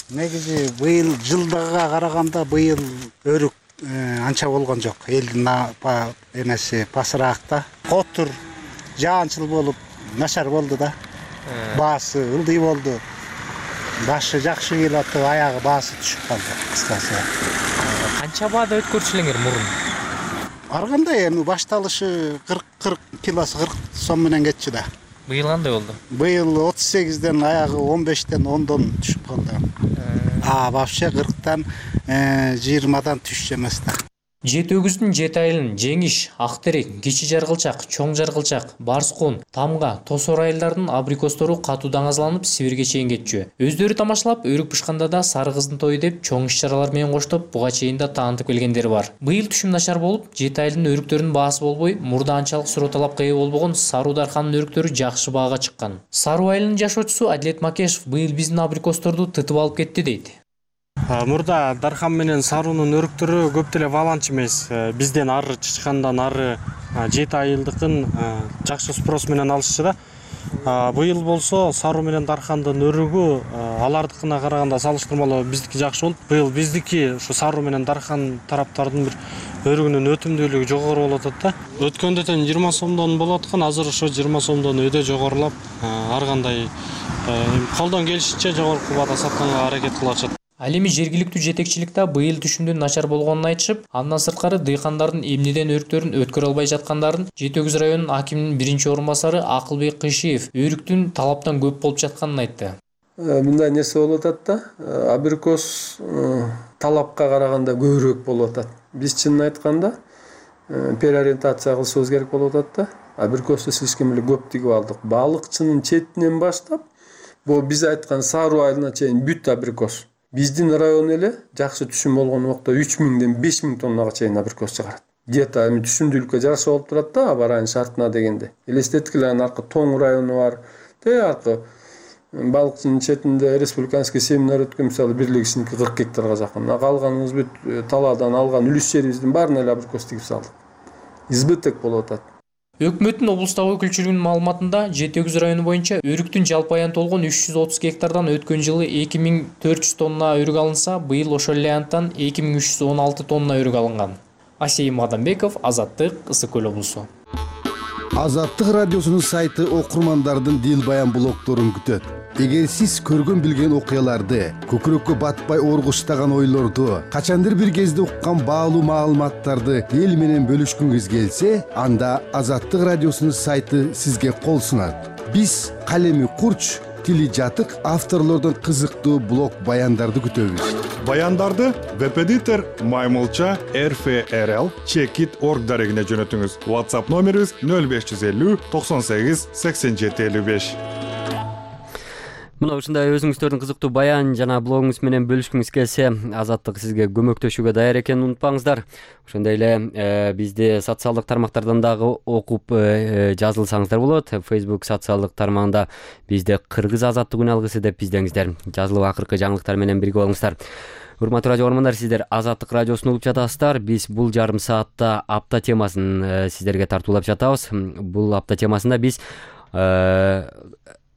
Негизи быйыл жылдыга караганда быйыл өрүк анча болгон жок. Элдин эмеси пасыраакта. Котур жаанчыл болуп начар болду да. Баасы ылдый болду. Башы жакшы келип атты, аягы баасы түшүп калды кыскасы. Канча баада өткөрчүлөңөр мурун? Ар кандай эми башталышы 40 килосы 40 сом менен кетчү да. Быйыл кандай болду? Быйыл 38ден аягы 15ден 10дон түшүп калды. Вообще 40тан 20дан түшчү эмес да. Жети өгүздүн жети айылын Жеңиш, Ак Терек, Кичи Жаргылчак, Чоң Жаргылчак, Барскун, Тамга, Тосор айылдарынын абрикостору катуу даңазаланып Сибирге чейин кетчү. Өздөрү тамашалап, өрүк бышканда да сары кыздын тою деп чоң иш-чаралар менен коштоп, буга чейин да таанытып келгендери бар. Быйыл түшүм начар болуп, жети айылдын өрүктөрүнүн баасы болбой, мурда анчалык суроо талапка ээ болбогон Саруу Дархандын өрүктөрү жакшы баага чыккан. Саруу айылынын жашоочусу Адилет Макешев быйыл биздин абрикосторду тытып алып кетти дейт. Мурда Дархан менен Саруунун өрүктөрү көп деле баланчы эмес. Бизден ары чычкандан ары жети айылдыкын жакшы спрос менен алышчу да. Быйыл болсо Саруу менен Дархандын өрүгү алардыкына караганда салыштырмалуу биздики жакшы болуп, быйыл биздики ушу Саруу менен Дархан тараптардын бир өрүгүнүн өтүмдүүлүгү жогору болуп атат да. Өткөндө тең 20 сомдон болуп аткан, азыр ошо 20 сомдон өйдө жогорулап, ар кандай колдон келишинче жогорку баада сатканга аракет кылышат. Ал эми жергиликтүү жетекчиликте быйыл түшүмдүн начар болгонун айтышып, андан сырткары дыйкандардын эмнеден өрүктөрүн өткөрө албай жаткандарын Жети Өгүз районунун акиминин биринчи орун басары Акылбек Кыйшиев өрүктүн талаптан көп болуп жатканын айтты. Мындай нерсе болуп атат да, абрикос талапка караганда көбүрөөк болуп атат. Биз чынын айтканда переориентация кылышыбыз керек болуп атат да. Абрикосду слишком эле көп тигип алдык. Балыкчынын четинен баштап, бул биз айткан Саруу айылына чейин бүт абрикос. Биздин район эле жакшы түшүм болгон убакта 3000ден 5000 тоннага чейин абрикос чыгарат. Где-то эми түшүмдүүлүккө жараша болуп турат да, аба райын шартына дегенде. Элестеткиле аркы Тоң району бар. Аркы балыкчынын четинде республиканский семинар өткөн, мисалы бирлигисиники 40 гектарга жакын. Калганыбыз бүт талаадан алган үлүс жерибиздин баарына эле абрикос тигип салдык. Избыток болуп атат. Өкмөттүн облустагы өкүлчүлүгүнүн маалыматында Жети Өгүз району боюнча өрүктүн жалпы аянты болгон 330 гектардан өткөн жылы 2400 тонна өрүк алынса, быйыл ошол эле аянттан 2316 тонна өрүк алынган. Асейим Адамбеков, Азаттык, Ысык Көл облусу. Азаттык радиосунун сайты окурмандардын дил баян блогдорун күтөт. Эгер сиз көргөн билген окуяларды, көкүрөккө батпай оргуштаган ойлорду, качандыр бир кезде уккан баалуу маалыматтарды эл менен бөлүшкүңүз келсе, анда Азаттык радиосунун сайты сизге кол сунат. Биз калеми курч, тили жатык авторлордон кызыктуу блог баяндарды күтөбүз. Баяндарды веб-эдитор Маймылча RFRL Checkit.org дарегине жөнөтүңүз. WhatsApp номерибиз 0550 98 87 55. Мына ушундай өзүңүздөрдүн кызыктуу баян жана блогуңуз менен бөлүшкүңүз келсе, Азаттык сизге көмөктөшүүгө даяр экенин унутпаңыздар. Ошондой эле бизди социалдык тармактардан дагы окуп жазылсаңыздар болот. Facebook социалдык тармагында бизде Кыргыз азаттык үн алгысы деп издеңиздер. Жазылып акыркы жаңылыктар менен бирге болуңуздар. Урматтуу радио угармандар, сиздер Азаттык радиосун угуп жатасыздар. Биз бул жарым саатта апта темасын сиздерге тартуулап жатабыз. Бул апта темасында биз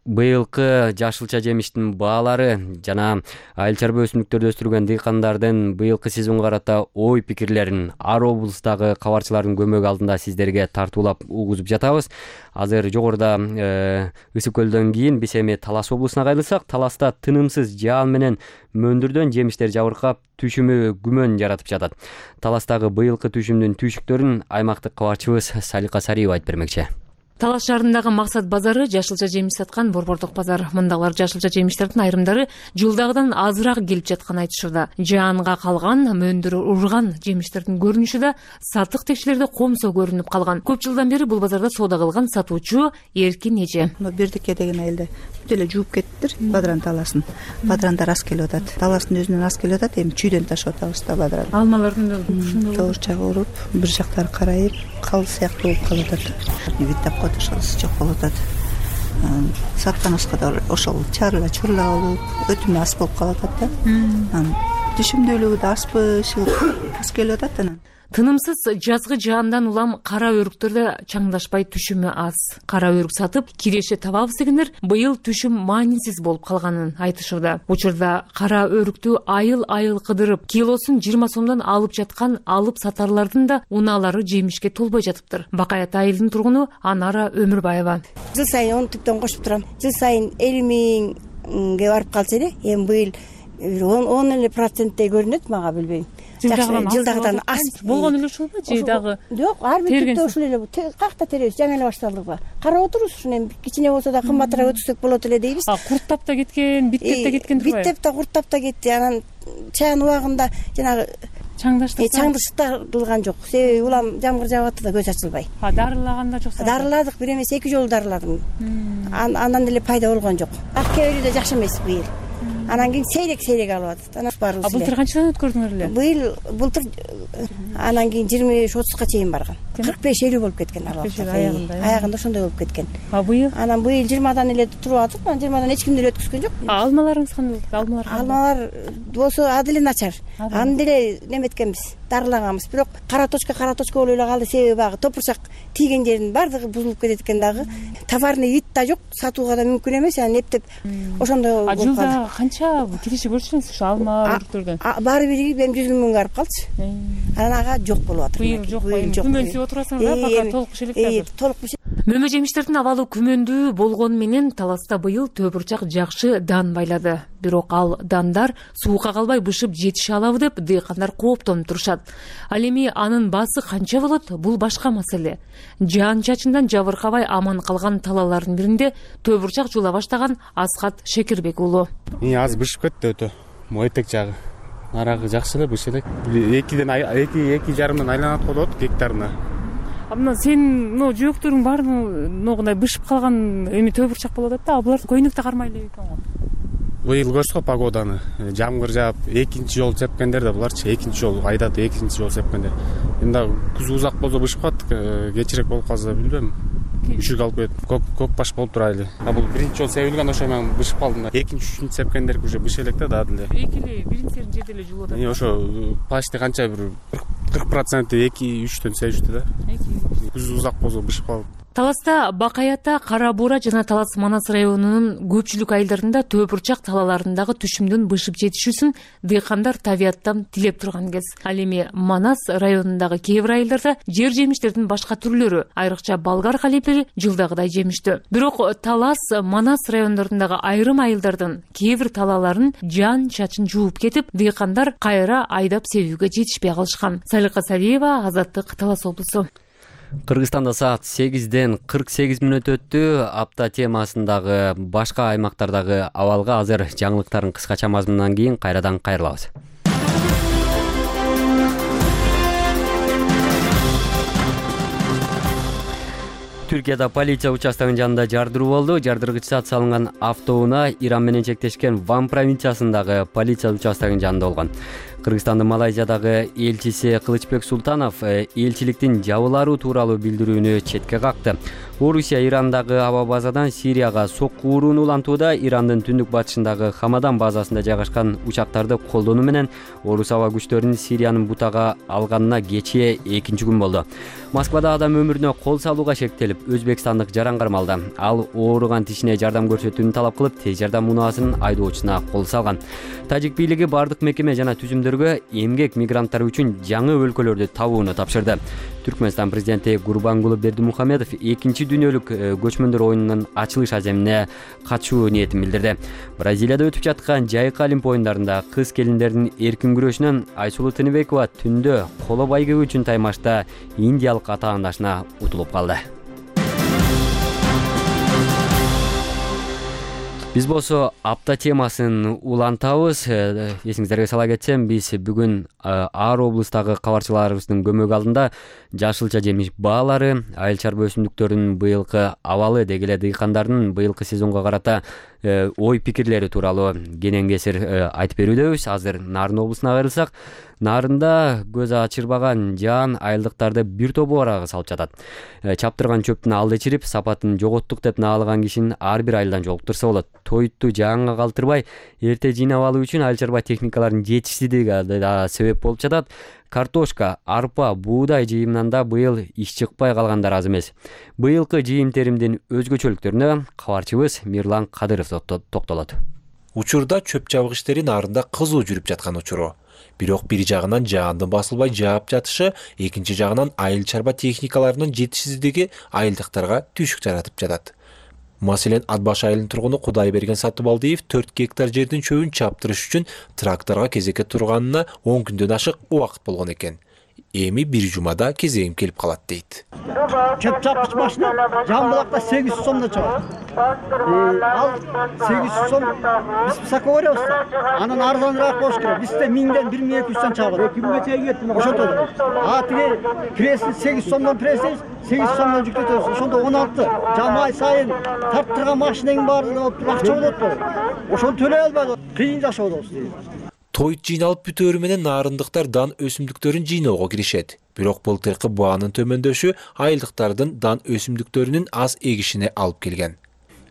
быйылкы жашылча жемиштин баалары жана айыл чарба өсүмдүктөрдү өстүргөн дыйкандардын быйылкы сезонго карата ой пикирлерин ар облустагы кабарчылардын көмөгү алдында сиздерге тартуулап угузуп жатабыз. Азыр жогоруда Ысык көлдөн кийин биз эми Талас облусуна кайрылсак, Таласта тынымсыз жаан менен мөндүрдөн жемиштер жабыркап, түшүмү күмөн жаратып жатат. Таластагы быйылкы түшүмдүн түйшүктөрүн аймактык кабарчыбыз Салика Сариева айтып бермекчи. Талас шаарындагы Максат базары жашылча жемиш саткан борбордук базар. Мындагылар жашылча жемиштердин айрымдары жылдагыдан азыраак келип жатканын айтышууда. Жаанга калган, мөндүр урган жемиштердин көрүнүшү да сатык текчилерде комсо көрүнүп калган. Көп жылдан бери бул базарда соода кылган сатуучу Эркин эже. Бердике деген айылда бүт эле жууп кеттиптир бадран таласын. Бадрандар аз келип атат. Таластын өзүнөн аз келип атат, эми чүйдөн ташып атабыз да бадран. Алмалардын да ушундай тоорчак уруп, бир жактары карайып, кал сыяктуу болуп калып атат. Ошолусу жок болуп атат. Саткан оскодор ошол чарла чурла болуп, өтүмү аз болуп калып атат да. Түшүмдүүлүгү да азбы, аз келип атат анан. Тынымсыз жазгы жаандан улам кара өрүктөрдө чаңдашпай түшүмү аз. Кара өрүк сатып киреше табабыз дегендер быйыл түшүм маанисиз болуп калганын айтышууда. Учурда кара өрүктү айыл кыдырып, килосун 20 сомдон алып жаткан алып сатарлардын да унаалары жемишке толбой жатыптыр. Бакаят айылдын тургуну Анара Өмүрбаева. Жыл сайын 10 түптөн кошуп турам. Жыл сайын 50 миңге барып калчу эле. Эми быйыл 10% көрүнөт, мага билбейм. Жылдагыдан аз болгон эле ушулбу же дагы? Жок, ар бир түптө ушул эле. Какта теребиз, жаңы эле башталдык. Карап отурубуз, ушуну эми кичине болсо да кымбатыраак өтүрсөк болот эле дейбиз. Курттап да кеткен, биттеп да кеткен турбайбы? Биттеп да курттап да кетти. Анан чаан убагында жанагы чаңдыштырылган жок. Себеби улам жамгыр жаап атты да көз ачылбай. Дарылаганда жоксу? Дарыладык, бир эмес 2 жолу дарыладым. Андан деле пайда болгон жок. Ак кебери да жакшы эмес быйыл. Анан кийин сейрек алып атат. Анан барыбыз. Былтыр канчадан өткөрдүңөр эле? Былтыр анан кийин 25-30га чейин барган. 45-50 болуп кеткен аягында ошондой болуп кеткен. Быйыл? Анан быйыл 20дан эле туруп атып, анан 20дан эч ким деле өткөзгөн жок. Алмаларыңыз кандай? Алмалар болсо аделе начар. Аны деле неметкенбиз, дарылаганбыз. Бирок кара точка болуп эле калды. Себеби багы топурчак тийген жердин баардыгы бузулуп кетет экен дагы. Товарный вид да жок, сатууга да мүмкүн эмес. Анан эптеп ошондой болуп калды. Жылда канча киреше көрчүсүңүз ушу алма өрүктөрдөн? Баары бири эми 100 миң барып калчу. Анан ага жок болуп атыр. Быйыл жок. Күмөнсүп отурасыңар да, бака толук бишелек азыр. Толук Мөмө жемиштердин абалы күмөндүү болгону менен Таласта быйыл төбүрчак жакшы дан байлады. Бирок ал дандар суукка калбай бышып жетише алабы деп дыйкандар кооптонуп турушат. Ал эми анын баасы канча болот? Бул башка маселе. Жаан чачындан жабыркабай аман калган талалардын биринде төбүрчак жуула баштаган Асхат Шекербек уулу. Аз бышып кетти өтө. Мойтек жагы. Нарагы жакшы эле бышып элек. 2,5 айланат болот гектарына. Мына сен жөөктөрүң баары могундай бышып калган эми төбүрчак болуп атат да, а булар көйнөктө кармай эле экен го. Быйыл көрсөк погоданы, жамгыр жаап, экинчи жолу сепкендер да буларчы, экинчи жолу айдат, экинчи жолу сепкендер. Эми дагы күз узак болсо бышып калат, кечирээк болуп калса билбейм. Үшүк алып кетип, көк баш болуп турайлы. Бул биринчи жолу себилген, ошо мен бышып калдым да. Экинчи, үчүнчү сепкендер уже бышып элек да дагы деле. Экили биринчи жерде эле жуулуп атат. Ошо почти канча бир 40% 2-3төн себишти да. Күз узак болсо бышып калып. Таласта Бакаята, Кара Буура жана Талас Манас районунун көпчүлүк айылдарында төбүрчак талаларындагы түшүмдүн бышып жетишүүсүн дыйкандар табияттан тилеп турган кез. Ал эми Манас районундагы кээ бир айылдарда жер жемиштердин башка түрлөрү, айрыкча болгар калипери жылдагыдай жемиштүү. Бирок Талас, Манас райондорундагы айрым айылдардын кээ бир талаларын жаан чачын жууп кетип, дыйкандар кайра айдап себүүгө жетишпей калышкан. Салика Сариева, Азаттык, Талас облусу. Кыргызстанда саат 8-ден 48 мүнөт өттү. Апта темасындагы башка аймактардагы абалга азыр жаңылыктардын кыскача мазмунунан кийин кайрадан кайрылабыз. Түркияда полиция участогынын жанында жардыруу болду. Жардыргыч зат салынган автоунаа Иран менен чектешкен Ван провинциясындагы полиция участогынын жанында болгон. Кыргызстандын Малайзиядагы элчиси Кылычбек Султанов элчиликтин жабыларуу тууралуу билдирүүнү четке какты. Орусия Ирандагы аба базадан Сирияга сокку урууну улантууда Ирандын түндүк батышындагы Хамадан базасында жайгашкан учактарды колдонуу менен орус аба күчтөрүнүн Сириянын бутага алганына кечээ 2-күн болду. Москвада адам өмүрүнө кол салууга шектелип, өзбекстандык жаран кармалды. Ал ооруган тишине жардам көрсөтүүнү талап кылып, тез жардам унаасынын айдоочусуна кол салган. Тажик бийлиги бардык мекеме жана түзүмдөргө эмгек мигранттары үчүн жаңы өлкөлөрдү табууну тапшырды. Түркмөнстан президенти Гурбангулы Бердимухамедов 2 дүйнөлүк көчмөндөр оюнунун ачылыш аземине катышуу ниетин билдирди. Бразилияда өтүп жаткан жайкы олимп оюндарында кыз келиндердин эркин күрөшүнөн Айсулуу Тыныбекова түндө коло байгеги үчүн таймашта индиялык атаандашына утулуп калды. Биз болсо апта темасын улантабыз. Эсиңиздерге сала кетсем, биз бүгүн ар облустагы кабарчыларыбыздын көмөгү алдында жашылча жемиш баалары, айыл чарба өсүмдүктөрүнүн быйылкы абалы деги эле дыйкандардын быйылкы сезонго карата ой пикирлери тууралуу кенен кесир айтып берүүдөбүз. Азыр Нарын облусуна кайрылсак, Нарында көз ачырбаган жаан айылдыктарды бир тобу арага салып жатат. Чаптырган чөптүн алды чирип, сапатын жоготтук деп наалаган кишини ар бир айылдан жолуктурса болот. Тоютту жаанга калтырбай, эрте жыйнап алуу үчүн айыл чарба техникаларынын жетишсиздиги да себеп болуп жатат. Картошка, арпа, буудай жыйымынан да быйыл иш чыкпай калгандар аз эмес. Быйылкы жыйым теримдин өзгөчөлүктөрүнө кабарчыбыз Мирлан Кадыров токтолот. Учурда чөп чабык иштери Нарында кызуу жүрүп жаткан учуру. Бирок бир жагынан жаандын басылбай жаап жатышы, экинчи жагынан айыл чарба техникаларынын жетишсиздиги айылдыктарга түйшүк жаратып жатат. Маселен, Атбаш айылынын тургуну Кудайберген Сатыбалдиев 4 гектар жердин чөбүн чаптырыш үчүн тракторго кезекке турганына 10 күндөн ашык убакыт болгон экен. Эми бир жумада кезегим келип калат дейт. Чөп чапкыч машина Жамбылакта 800 сомдон чыгат. Ал 800 сом биз высоко беребиз. Анан арзаныраак болуш керек. Бизде 1000ден 1200дөн чыгат. 2000 чейин кеттим. Ошондо. Тиги пресси 800 сомдон пресси 800 сомдон жүктөтөбүз. Ошондо 16. Жамай сайын тарттырган машиненин баардыгы акча болот. Ошону төлөй албайбыз. Кыйын жашообуз. Тоют жыйналып бүтөөрү менен нарындыктар дан өсүмдүктөрүн жыйноого киришет. Бирок былтыркы баанын төмөндөшү айылдыктардын дан өсүмдүктөрүнүн аз эгишине алып келген.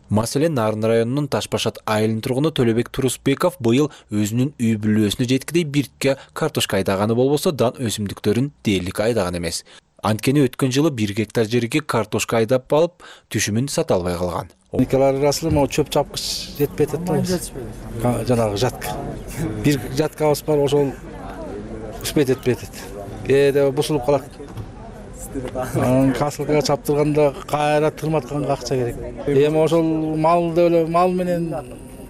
Маселен, Нарын районунун Ташбашат айылынын тургуну Төлөбек Турусбеков быйыл өзүнүн үй бүлөсүнө жеткидей биртке картошка айдаганы болбосо, дан өсүмдүктөрүн дээрлик айдаган эмес. Анткени өткөн жылы 1 гектар жерге картошка айдап алып, түшүмүн сата албай калган. Техникалар арасында могу чөп чапкыч жетпей атат. Жанагы жатка. Бир жаткабыз бар, ошол успеть этпей атат. Кээде бусулуп калат. Касылкага чаптырганда кайра тырматканга акча керек. Эми ошол мал менен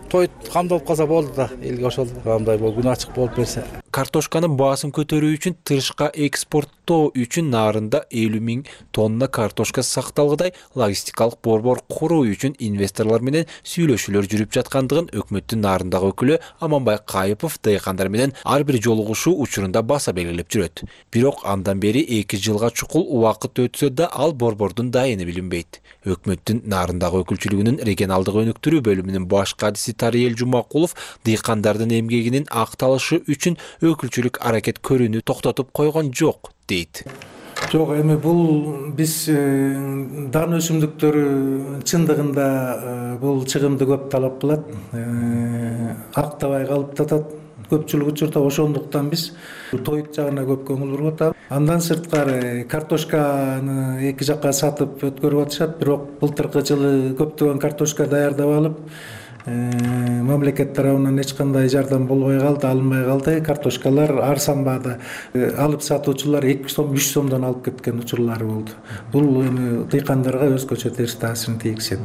тоют камдалып калса болду да, элге ошол кандай болуп күнү ачык болуп берсе. Картошканын баасын көтөрүү үчүн тышка экспорттоо үчүн Нарында 50 000 тонна картошка сакталгыдай логистикалык борбор куруу үчүн инвесторлор менен сүйлөшүүлөр жүрүп жаткандыгын өкмөттүн Нарындагы өкүлү Аманбай Кайыпов дыйкандар менен ар бир жолугушуу учурунда баса белгилеп жүрөт. Бирок андан бери 2 жылга чукул убакыт өтсө да ал борбордун дайыны билинбейт. Өкмөттүн Нарындагы өкүлчүлүгүнүн регионалдык өнүктүрүү бөлүмүнүн баш кадиси Тариел Жумакулов дыйкандардын эмгегинин акталышы үчүн өкүлчүлүк аракет көрүүнү токтотуп койгон жок дейт. Жок, эми бул биз дан өсүмдүктөрү чындыгында бул чыгымды көп талап кылат. Актабай калып жатат. Көпчүлүк учурда ошондуктан биз тоют жагына көп көңүл буруп атабыз. Андан сырткары картошканы эки жакка сатып өткөрүп атышат, бирок былтыркы жылы көптөгөн картошка даярдап алып, мамлекет тарабынан эч кандай жардам болбой калды, алынбай калды. Картошкалар арзан баада алып сатуучулар 2 сом, 3 сомдон алып кеткен учурлары болду. Бул эми дыйкандарга өзгөчө терс таасирин тийгизет.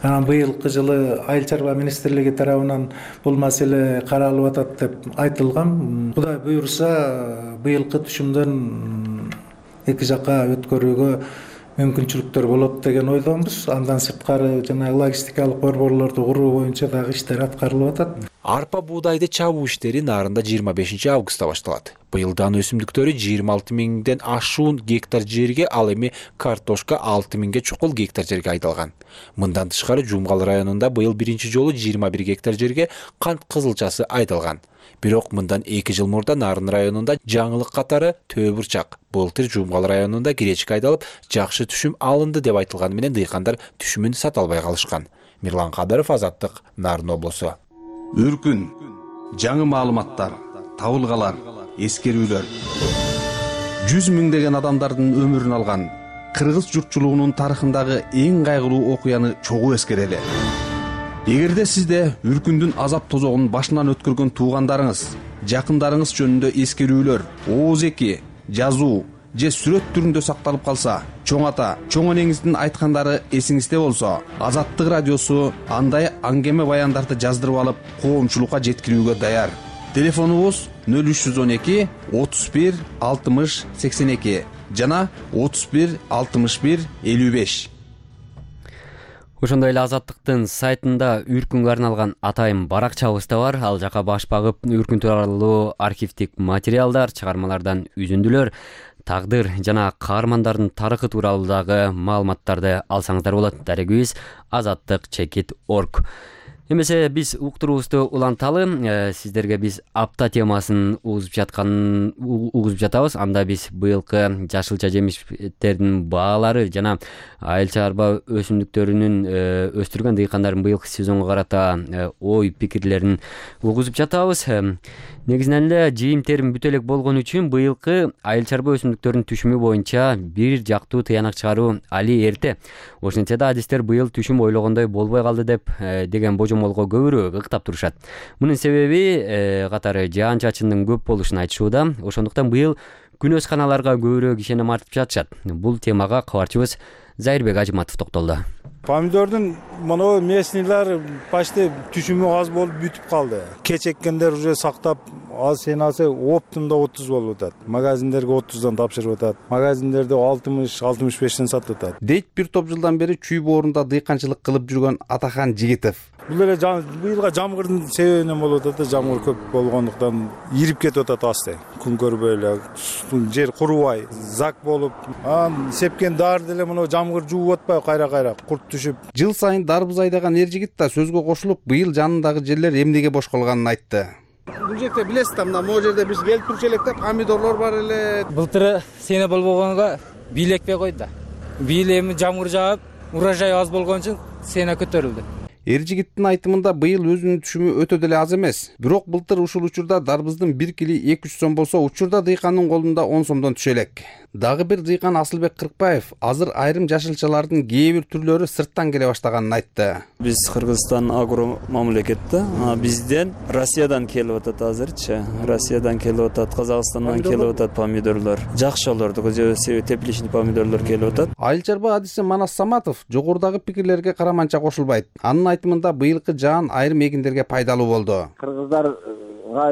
Анан быйылкы жылы Айыл чарба министрлиги тарабынан бул маселе каралып атат деп айтылган. Кудай буйруса, быйылкы түшүмдөн эки жакка өткөрүүгө мүмкүнчүлүктөр болот деген ойдомуз. Андан сырткары жана логистикалык борборлорду куруу боюнча дагы иштер аткарылып атат. Арпа буудайды чабуу иштери Нарында 25 августта башталат. Быйыл дан өсүмдүктөрү 26 миңден ашуун гектар жерге, ал эми картошка 6 миңге чукул гектар жерге айдалган. Мындан тышкары Жумгал районунда быйыл биринчи жолу 21 гектар жерге кант кызылчасы айдалган. Бирок мындан 2 жыл мурда Нарын районунда жаңылык катары төө бурчак, былтыр Жумгал районунда гречка айдалып, жакшы түшүм алынды деп айтылганы менен дыйкандар түшүмүн сата албай калышкан. Мирлан Кадыров, Азаттык, Нарын облусу. Үркүн, жаңы маалыматтар, табылгалар, эскерүүлөр. 100 миңдеген адамдардын өмүрүн алган кыргыз журтчулугунун тарыхындагы эң кайгылуу окуяны чогуу эскерели. Эгерде сизде үркүндүн азап тозогун башынан өткөргөн туугандарыңыз, жакындарыңыз жөнүндө эскерүүлөр, ооз-эки, жазуу же сүрөт түрүндө сакталып калса, чоң ата, чоң энеңиздин айткандары эсиңизде болсо, Азаттык радиосу андай аңгеме баяндарды жаздырып алып, коомчулукка жеткирүүгө даяр. Телефонубуз 0312 31 60 82 жана 31 61 55. Ошондой эле Азаттыктын сайтында үркүнгө арналган атайын баракчабыз да бар. Ал жака баш багып үркүн тууралуу архивдик материалдар, чыгармалардан үзүндүлөр, тагдыр жана каармандардын тарыхы тууралуу дагы маалыматтарды алсаңыздар болот. Дарегибиз azattik.org. Эмесе биз уктуруубузду уланталы. Сиздерге биз апта темасын угузуп жатабыз. Анда биз быйылкы жашылча жемиштердин баалары жана айыл чарба өсүмдүктөрүнүн өстүргөн дыйкандардын быйылкы сезонго карата ой пикирлерин угузуп жатабыз. Негизинен эле жыйын терим бүтө элек болгон үчүн быйылкы айыл чарба өсүмдүктөрүнүн түшүмү боюнча бир жактуу тыянак чыгаруу али эрте. Ошентсе да адистер быйыл түшүм ойлогондой болбой калды деп деген божомолго көбүрөөк ыктап турушат. Мунун себеби катары жаан-чачындын көп болушун айтышууда. Ошондуктан быйыл күнөсканаларга көбүрөөк ишеним артып жатышат. Бул темага кабарчыбыз Зайырбек Ажыматов токтолду. Помидордун моно местныйлар почти түшүмү аз болуп бүтүп калды. Кеч эккендер уже сактап, аз сенасы оптумда 30 болуп атат. Магазиндерге 30дан тапшырып атат. Магазиндерде 60-65тен сатып атат. Дейт бир топ жылдан бери чүй боорунда дыйканчылык кылып жүргөн Атахан Жигитов. Бул эле быйылга жамгырдын себебинен болуп атат. Жамгыр көп болгондуктан ирип кетип атат асты. Күн көрбөй эле, жер курубай, зак болуп, сепкен дар деле моно жамгыр жууп атпай кайра-кайра курт түшүп. Жыл сайын дарбыз айдаган эр жигит да сөзгө кошулуп, быйыл жанындагы жерлер эмнеге бош калганын айтты. Бул жерде билесиз да, мына могу жерде биз келип турчу элек да, помидорлор бар эле. Былтыр сене болбогонго бийлekпей койду. Бийил эми жамгыр жаап, урожай аз болгон үчүн сене көтөрүлдү. Эр жигиттин айтымында быйыл өзүнүн түшүмү өтө деле аз эмес. Бирок былтыр ушул учурда дарбыздын 1 кили 200 сом болсо, учурда дыйкандын колунда 10 сомдон түшө элек. Дагы бир дыйкан Асылбек Кыркбаев азыр айрым жашылчалардын кээ бир түрлөрү сырттан келе баштаганын айтты. Биз Кыргызстан агро мамлекет да, бизден Россиядан келип атат азырчы. Россиядан келип атат, Казакстандан келип атат помидорлор. Жакшыларды, тепличный помидорлор келип атат. Айыл чарба адиси Манас Саматов жогорудагы пикирлерге караманча кошулбайт. Анын айтымында быйылкы жаан айрым эгиндерге пайдалуу болду. Кыргыздар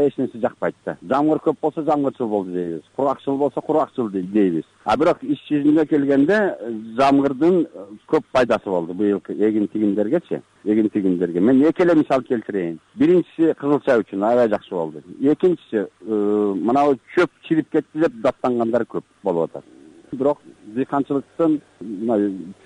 эч нерсе жакпайт да. Жамгыр көп болсо жамгырчыл болду дейбиз. Куракчыл болсо куракчыл дейбиз. Бирок иш жүзүнө келгенде жамгырдын көп пайдасы болду быйылкы эгин тигиндергечи. Эгин тигиндерге мен эки эле мисал келтирейин. Биринчиси кызылча үчүн аябай жакшы болду. Экинчиси мына чөп чирип кетти деп даттангандар көп болуп атат. Бирок дыйканчылыктын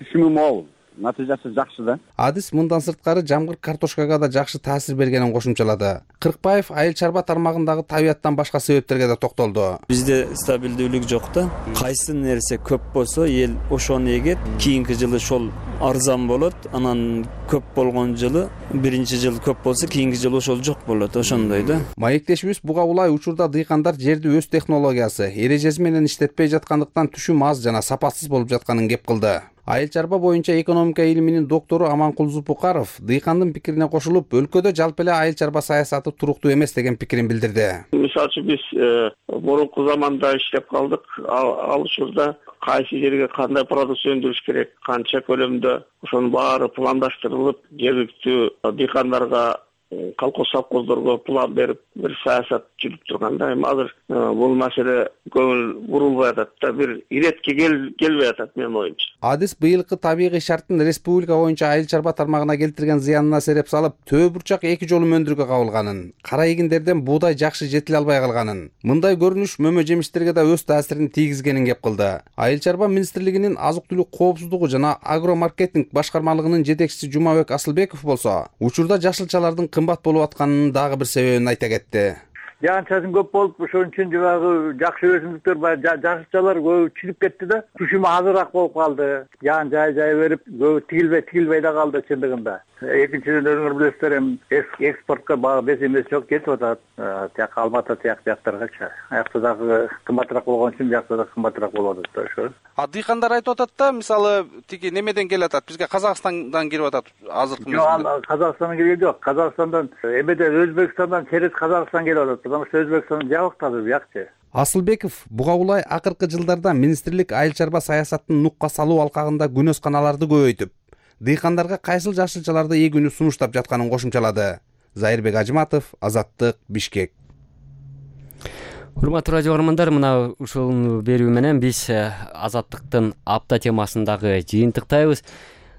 түшүмү мол. Натыйжасы жакшы да. Адис мындан сырткары жамгыр картошкага да жакшы таасир бергенин кошумчалады. Кыркбаев айыл чарба тармагындагы табияттан башка себептерге да токтолду. Бизде стабилдүүлүк жок да. Кайсы нерсе көп болсо, эл ошону эгет, кийинки жылы ошол арзан болот. Анан көп болгон жылы, биринчи жыл көп болсо, кийинки жылы ошол жок болот. Ошондой да. Маектешибиз буга улай учурда дыйкандар жерди өз технологиясы, эрежеси менен иштетпей жаткандыктан түшүм аз жана сапатсыз болуп жатканын кеп кылды. Айыл чарба боюнча экономика илиминин доктору Аманкул Зупукаров дыйкандын пикирине кошулуп, өлкөдө жалпы эле айыл чарба саясаты туруктуу эмес деген пикирин билдирди. Мисалы үчүн биз мурунку заманда иштеп калдык. Ал учурда кайсы жерге кандай продукция өндүрүш керек, канча көлөмдө, ошонун баары пландаштырылып, жергиликтүү дыйкандарга колхоз совхоздорго план берип бир саясат жүрүп турганда эми азыр бул маселе көңүл бурулбай атат да, бир иретке келбей атат менин оюмча. Адис быйылкы табигый шарттын республика боюнча айыл чарба тармагына келтирген зыянына сереп салып, төө бурчак 2 жолу өндүрүүгө кабылганын, кара эгиндерден буудай жакшы жетиле албай калганын, мындай көрүнүш мөмө жемиштерге да өз таасирин тийгизгенин кеп кылды. Айыл чарба министрлигинин азык-түлүк коопсуздугу жана агромаркетинг башкармалыгынын жетекчиси Жумабек Асылбеков болсо, учурда жашылчалардын кымбат болуп атканынын дагы бир себебин айта кетти. Жаан чачын көп болуп, ошон үчүн жанагы жакшы өсүмдүктөр бар, жашылчалар көбү чирip кетти да, түшүмү азыраак болуп калды. Жаан жай берип, көбү тигилбей да калды чындыгында. Экинчиден өзүңөр билесиздер, эми экспортко баа бесемес жок, кетип атат. Тияк Алматы жактаргачы. Аякта дагы кымбатыраак болгон үчүн жакта да кымбатыраак болуп атат да ошо. Дыйкандар айтып атат да, мисалы тиги немеден келип атат, бизге Казакстандан кирип атат азыркы мезгилде. Жок, Казакстандан келген жок. Казакстандан эмеде Өзбекстандан через Казакстан келип атат. Потому что Өзбекстан жабык азыр биякчы. Асылбеков буга улай акыркы жылдарда министрлик айыл чарба саясатын нукка салуу алкагында күнөс каналарды көбөйтүп, дыйкандарга кайсыл жашылчаларды эгүүнү сунуштап жатканын кошумчалады. Зайырбек Ажыматов, Азаттык, Бишкек. Урматтуу радио көрөрмандар, мына ушул берүү менен биз Азаттыктын апта темасындагы жыйынтыктайбыз.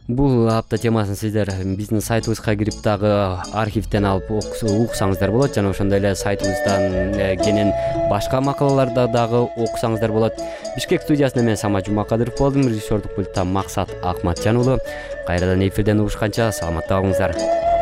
Бул апта темасын сиздер биздин сайтыбызга кирип дагы архивден алып уксаңыздар болот, жана ошондой эле сайтыбыздан кенен башка макалаларды дагы окусаңыздар болот. Бишкек студиясында мен Самат Жумакадыров болдум, режиссердук пультта Максат Акматжан уулу. Кайрадан эфирден угушканча саламатта болуңуздар.